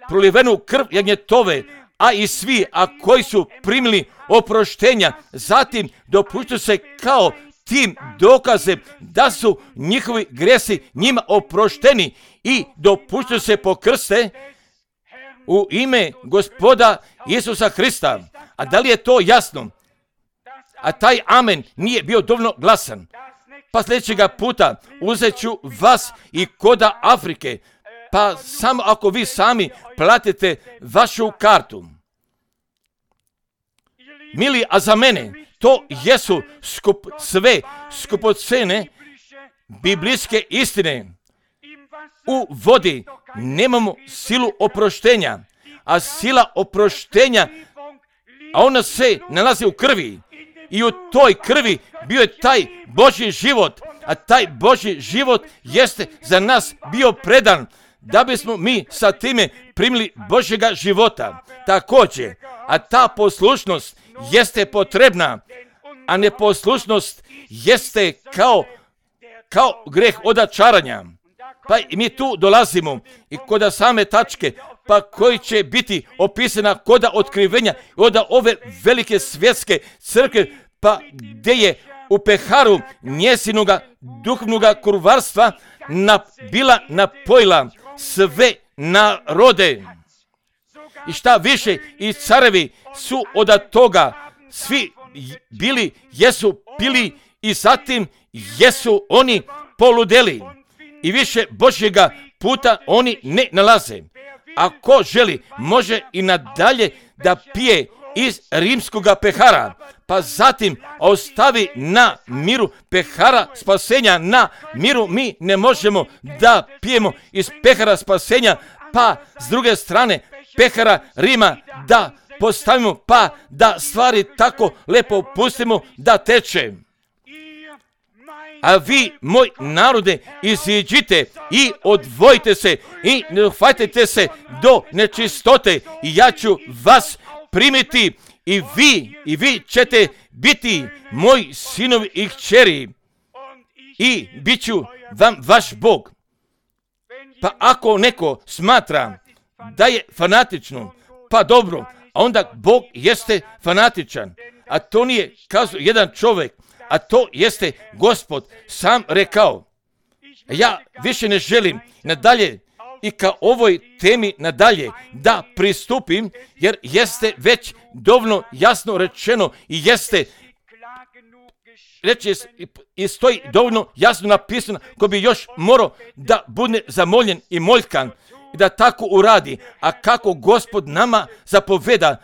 prolivenu krv jagnjetove, a i svi, koji su primili oproštenja, zatim dopuštaju se kao tim dokazem da su njihovi grijesi njima oprošteni i dopuštaju se pokrste u ime Gospoda Isusa Hrista. A da li je to jasno? A taj amen nije bio dovoljno glasan. Pa sljedećega puta uzet ću vas i koda Afrike, pa samo ako vi sami platite vašu kartu. Mili, a za mene to jesu sve skupocene biblijske istine. U vodi nemamo silu oproštenja, a sila oproštenja, a ona se nalazi u krvi. I u toj krvi bio je taj Božji život, a taj Božji život jeste za nas bio predan, da bismo mi sa time primili Božjega života. Također, a ta poslušnost jeste potrebna, a neposlušnost jeste kao greh odačaranja. Pa i mi tu dolazimo i kod same tačke, pa koji će biti opisana kod otkrivenja od ove velike svjetske crkve, pa gdje je u peharu njezinoga duhovnoga kurvarstva bila napojila sve narode. I šta više, i carevi su od toga svi jesu pili i zatim jesu oni poludeli. I više Božjega puta oni ne nalaze. Ako želi, može i nadalje da pije iz rimskoga pehara, pa zatim ostavi na miru pehara spasenja na miru. Mi ne možemo da pijemo iz pehara spasenja, pa s druge strane pehara Rima da postavimo, pa da stvari tako lepo pustimo da teče. A vi, moj narode, iziđite i odvojite se i ne uhvatite se do nečistote i ja ću vas primiti i vi ćete biti moji sinovi i kćeri i bit ću vam vaš Bog. Pa ako neko smatra da je fanatično, pa dobro, a onda Bog jeste fanatičan, a to nije kazao jedan čovjek, a to jeste Gospod sam rekao. Ja više ne želim nadalje i ka ovoj temi nadalje da pristupim, jer jeste već dovoljno jasno rečeno i jeste reći i stoji dovoljno jasno napisano ko bi još morao da bude zamoljen i moljkan i da tako uradi. A kako Gospod nama zapoveda,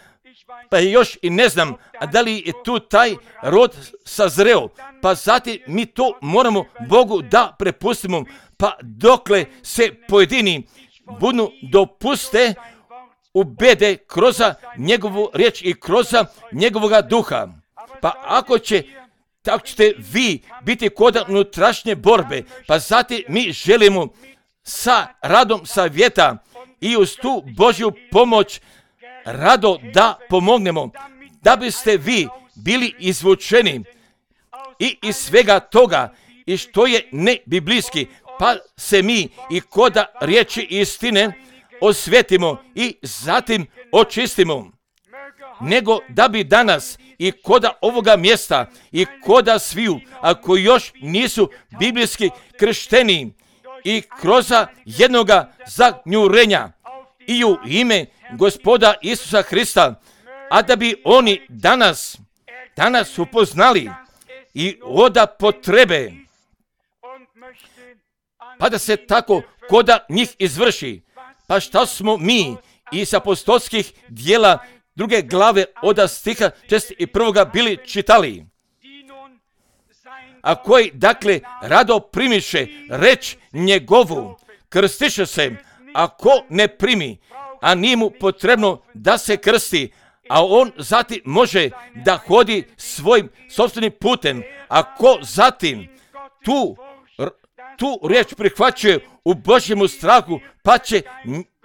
pa još i ne znam, a da li je tu taj rod sazreo, pa zatim mi to moramo Bogu da prepustimo, pa dokle se pojedini budu dopuste ubede kroz njegovu riječ i kroz njegovoga duha. Pa ako će, tako ćete vi biti kod unutrašnje borbe, pa zatim mi želimo sa radom savjeta i uz tu Božju pomoć rado da pomognemo, da biste vi bili izvučeni i iz svega toga i što je nebiblijski, pa se mi i kod riječi istine osvetimo i zatim očistimo. Nego da bi danas i kod ovoga mjesta i kod sviju, ako još nisu biblijski kršteni i kroz jednoga zagnjurenja i u ime Gospoda Isusa Hrista, a da bi oni danas upoznali i od potrebe, pa da se tako kod njih izvrši. Pa šta smo mi iz apostolskih dijela 2. glave od stiha 61. bili čitali? A koji, dakle, rado primiše reč njegovu, krstiše se, ako ne primi, a nije mu potrebno da se krsti, a on zatim može da hodi svojim sopstvenim putem, ako zatim tu riječ prihvaćuje u Božjemu strahu, pa će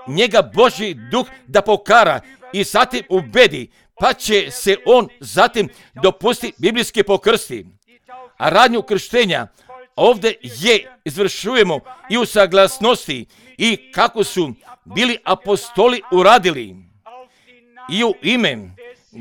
njega Božji duh da pokara i zatim ubedi, pa će se on zatim dopusti biblijski pokrsti. A radnju krštenja ovdje izvršujemo i u saglasnosti i kako su bili apostoli uradili i u ime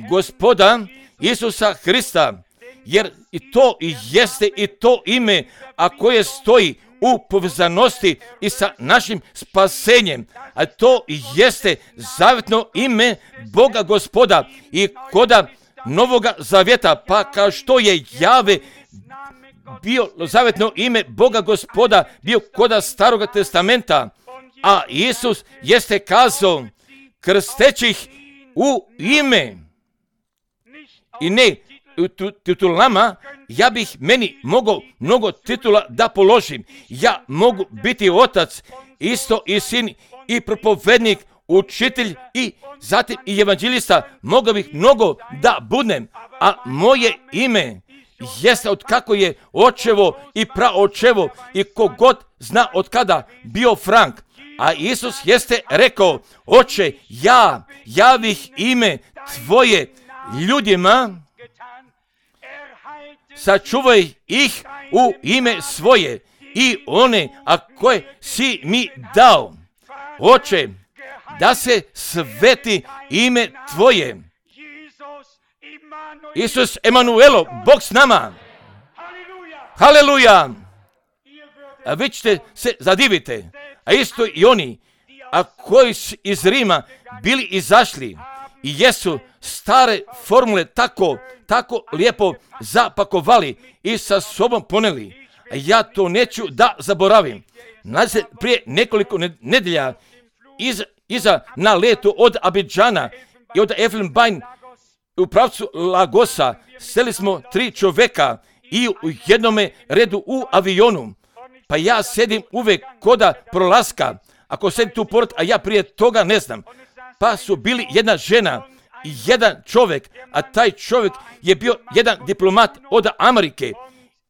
Gospoda Isusa Hrista, jer i to jeste i to ime, a koje stoji u povezanosti i sa našim spasenjem, a to jeste zavjetno ime Boga Gospoda i koda Novoga Zavjeta, pa kao što je Jave bio zavjetno ime Boga Gospoda bio koda Staroga Testamenta, a Isus jeste kazao krstećih u ime i ne titulama. Ja bih meni mogao mnogo titula da položim. Ja mogu biti otac, isto i sin i propovednik, učitelj i zatim i evanđelista. Mogao bih mnogo da budem, a moje ime jeste od kako je očevo i praočevo i kogod zna od kada bio Frank. A Isus jeste rekao, oče, ja bih ime tvoje ljudima, sačuvaj ih u ime svoje i one, a koje si mi dao. Oče, da se sveti ime Tvoje. Isus Emanuelo, Bog s nama. Haleluja. A vi ćete se zadivite, a isto i oni, a koji su iz Rima bili izašli i jesu stare formule tako lijepo zapakovali i sa sobom poneli. A ja to neću da zaboravim. Nazad prije nekoliko nedelja iza na letu od Abidžana i od Elfenbein u pravcu Lagosa seli smo 3 čovjeka i u jednome redu u avionu. Pa ja sedim uvijek koda prolaska, ako sedim tu pored, a ja prije toga ne znam. Pa su bili jedna žena i jedan čovjek, a taj čovjek je bio jedan diplomat od Amerike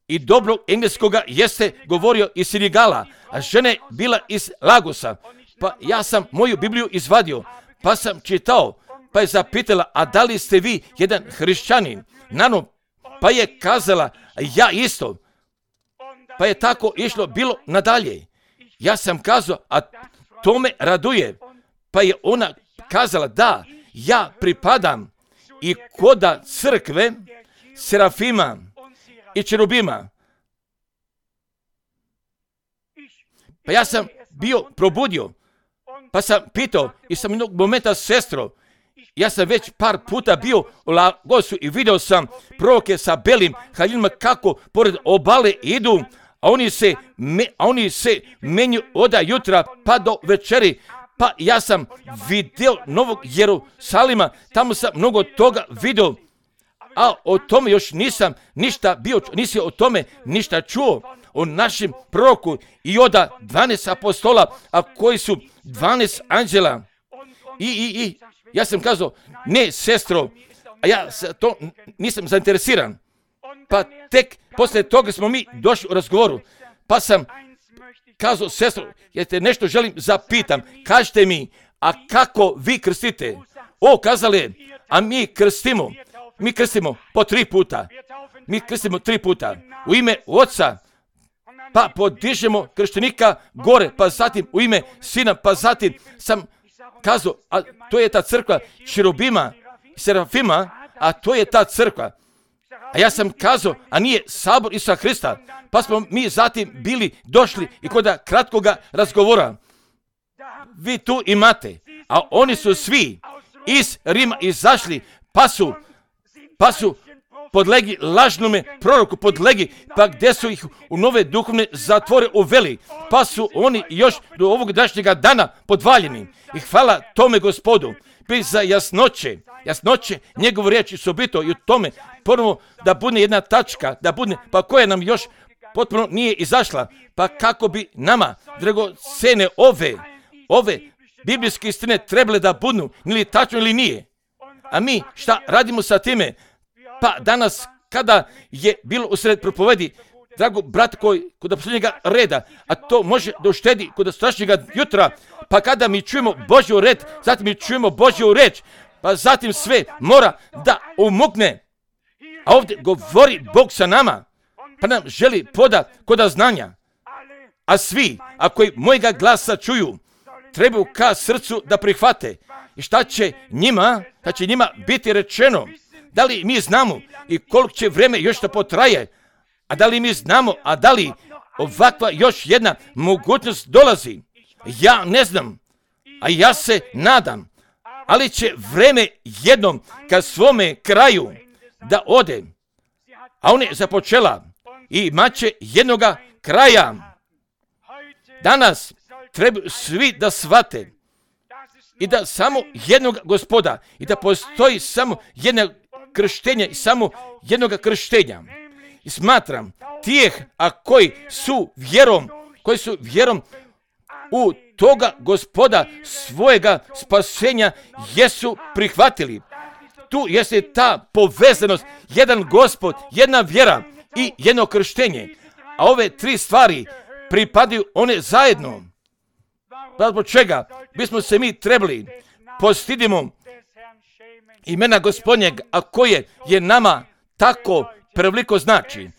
i dobro engleskoga jeste govorio iz Senegala, a žena je bila iz Lagosa. Pa ja sam moju Bibliju izvadio, pa sam čitao, pa je zapitala, a da li ste vi jedan hrišćanin? Pa je kazala, ja isto. Pa je tako išlo bilo nadalje. Ja sam kazao, a to me raduje. Pa je ona kazala, da, ja pripadam i koda crkve Serafima i Čerubima. Pa ja sam bio probudio, pa sam pitao i sam jednog momenta sestro, ja sam već par puta bio u Lagosu i vidio sam proroke sa belim haljinama kako pored obale idu, a oni se menju od jutra pa do večeri. Pa ja sam vidio Novog Jerusalima, tamo sam mnogo toga vidio, a o tome još nisam o tome ništa čuo, o našem proroku i od 12 apostola, a koji su 12 anđela. I ja sam kazao, ne sestro, a ja to nisam zainteresiran. Pa tek poslije toga smo mi došli u razgovoru, pa sam kazao, sestro, ja te nešto želim zapitam, kažite mi, a kako vi krstite? Kazale, a mi krstimo po 3 puta. Mi krstimo 3 puta u ime Oca, pa podižemo krštenika gore, pa zatim u ime Sina, pa zatim sam kazao, a to je ta crkva Čerubima, Serafima, a to je ta crkva. A ja sam kazao, a nije sabor Isusa Hrista. Pa smo mi zatim bili došli i kod kratkoga razgovora. Vi tu imate, a oni su svi iz Rima izašli, pa su podlegli lažnome proroku, pa gdje su ih u nove duhovne zatvore uveli, pa su oni još do ovog današnjega dana podvaljeni. I hvala tome Gospodu, za jasnoće njegovu riječi su bito i u tome prvo da bude jedna tačka, pa koja nam još potpuno nije izašla, pa kako bi nama, dragocene, ove biblijske istine trebale da budu, ili tačno ili nije. A mi šta radimo sa time? Pa danas kada je bilo usred propovedi, drago brat koji kod posljednjega reda, a to može da uštedi kod strašnjega jutra, pa kada mi čujemo Božju red, zatim mi čujemo Božju reč, pa zatim sve mora da umukne. A ovdje govori Bog sa nama, pa nam želi poda koda znanja. A svi, ako mojega glasa čuju, trebaju ka srcu da prihvate. I šta će njima biti rečeno? Da li mi znamo i koliko će vreme još da potraje? A da li mi znamo, a da li ovakva još jedna mogućnost dolazi? Ja ne znam, a ja se nadam, ali će vreme jednom ka svome kraju da ode. A ona je započela i imat će jednoga kraja. Danas trebaju svi da shvate i da samo jednog Gospoda i da postoji samo jedno krštenje i samo jednoga krštenja. I smatram tijeh, a koji su vjerom u toga Gospoda svojega spasenja jesu prihvatili. Tu jeste ta povezanost, jedan Gospod, jedna vjera i jedno krštenje. A ove 3 stvari pripadaju one zajedno. Zbog čega bismo se mi trebali postidimo imena Gospodnjeg, a koje je nama tako preveliko znači.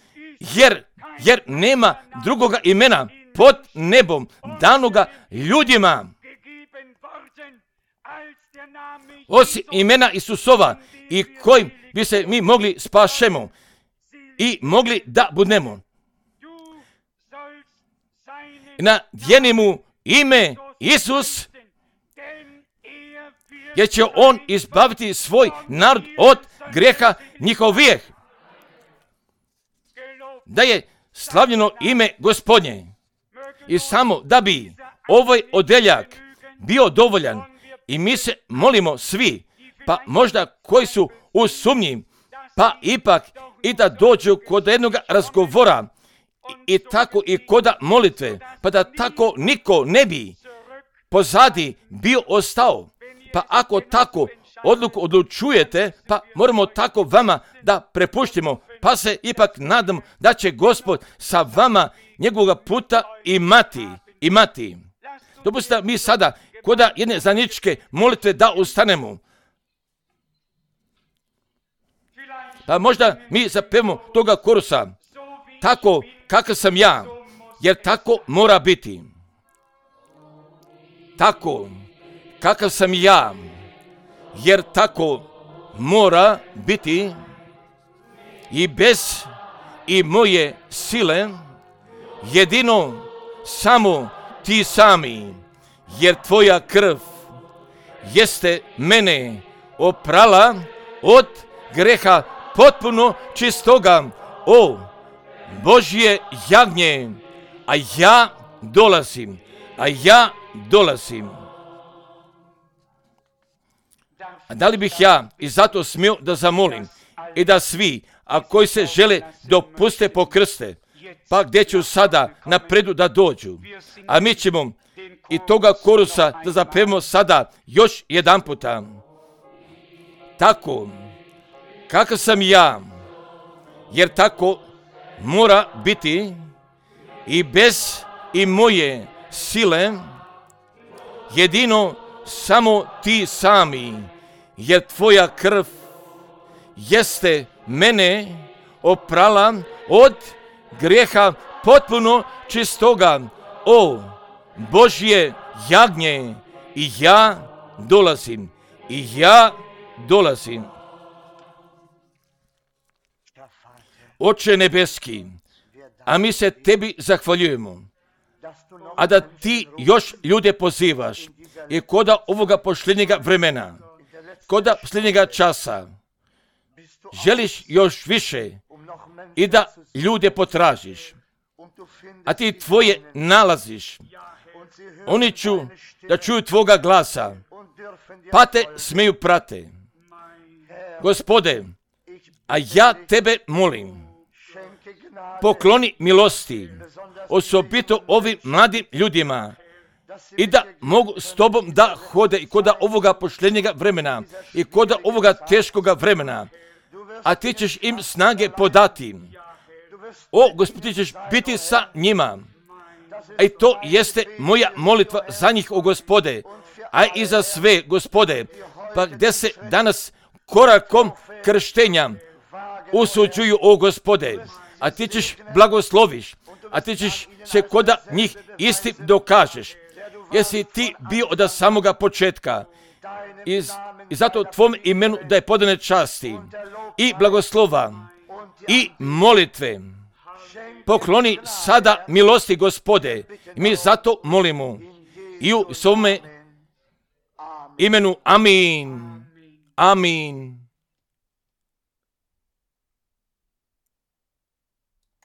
Jer jer nema drugoga imena pod nebom danoga ljudima osim imena Isusova i kojim bi se mi mogli spašemo i mogli da budemo. Nadijeni mu ime Isus, jer će on izbaviti svoj narod od grijeha njihovih. Da je slavljeno ime Gospodnje. I samo da bi ovaj odeljak bio dovoljan i mi se molimo svi, pa možda koji su u sumnji, pa ipak i da dođu kod jednog razgovora i tako i kod molitve, pa da tako niko ne bi pozadi bio ostao. Pa ako tako odluku odlučujete, pa moramo tako vama da prepuštimo, pa se ipak nadam da će Gospod sa vama njegovog puta imati. Dopustite mi sada kod jedne zajedničke molitve da ustanemo. Pa možda mi zapevamo toga korusa, tako kakav sam ja, jer tako mora biti. Tako kakav sam ja, jer tako mora biti i bez i moje sile, jedino samo ti sami, jer tvoja krv jeste mene oprala od greha potpuno čistoga, o Božje jagnje, a ja dolazim. A da li bih ja i zato smio da zamolim i da svi, a koji se žele dopuste pokrste, pa gdje ću sada napredu da dođu, a mi ćemo i toga korusa da zapevamo sada još jedan puta. Tako, kakav sam ja, jer tako mora biti i bez i moje sile, jedino samo ti sami, jer tvoja krv jeste mene oprala od grijeha potpuno čistoga, o Božje jagnje, i ja dolazim. Oče nebeski, a mi se tebi zahvaljujemo, a da ti još ljude pozivaš i koda ovoga posljednjega vremena, koda posljednjega časa, želiš još više i da ljude potražiš, a ti tvoje nalaziš. Oni da čuju tvoga glasa, pa te smiju prate. Gospode, a ja tebe molim, pokloni milosti, osobito ovim mladim ljudima, i da mogu s tobom da hode i kod ovoga posljednjega vremena i kod ovoga teškoga vremena, a ti ćeš im snage podati. O, Gospod, ti ćeš biti sa njima. A i to jeste moja molitva za njih, o Gospode, a i za sve, Gospode, pa gdje se danas korakom krštenja usuđuju, o Gospode, a ti ćeš blagosloviš, a ti ćeš se kod njih istim dokažeš. Jesi ti bio od samoga početka i zato tvom imenu da je podane časti i blagoslova i molitve. Pokloni sada milosti, Gospode, i mi zato molimo i u svome imenu. Amin.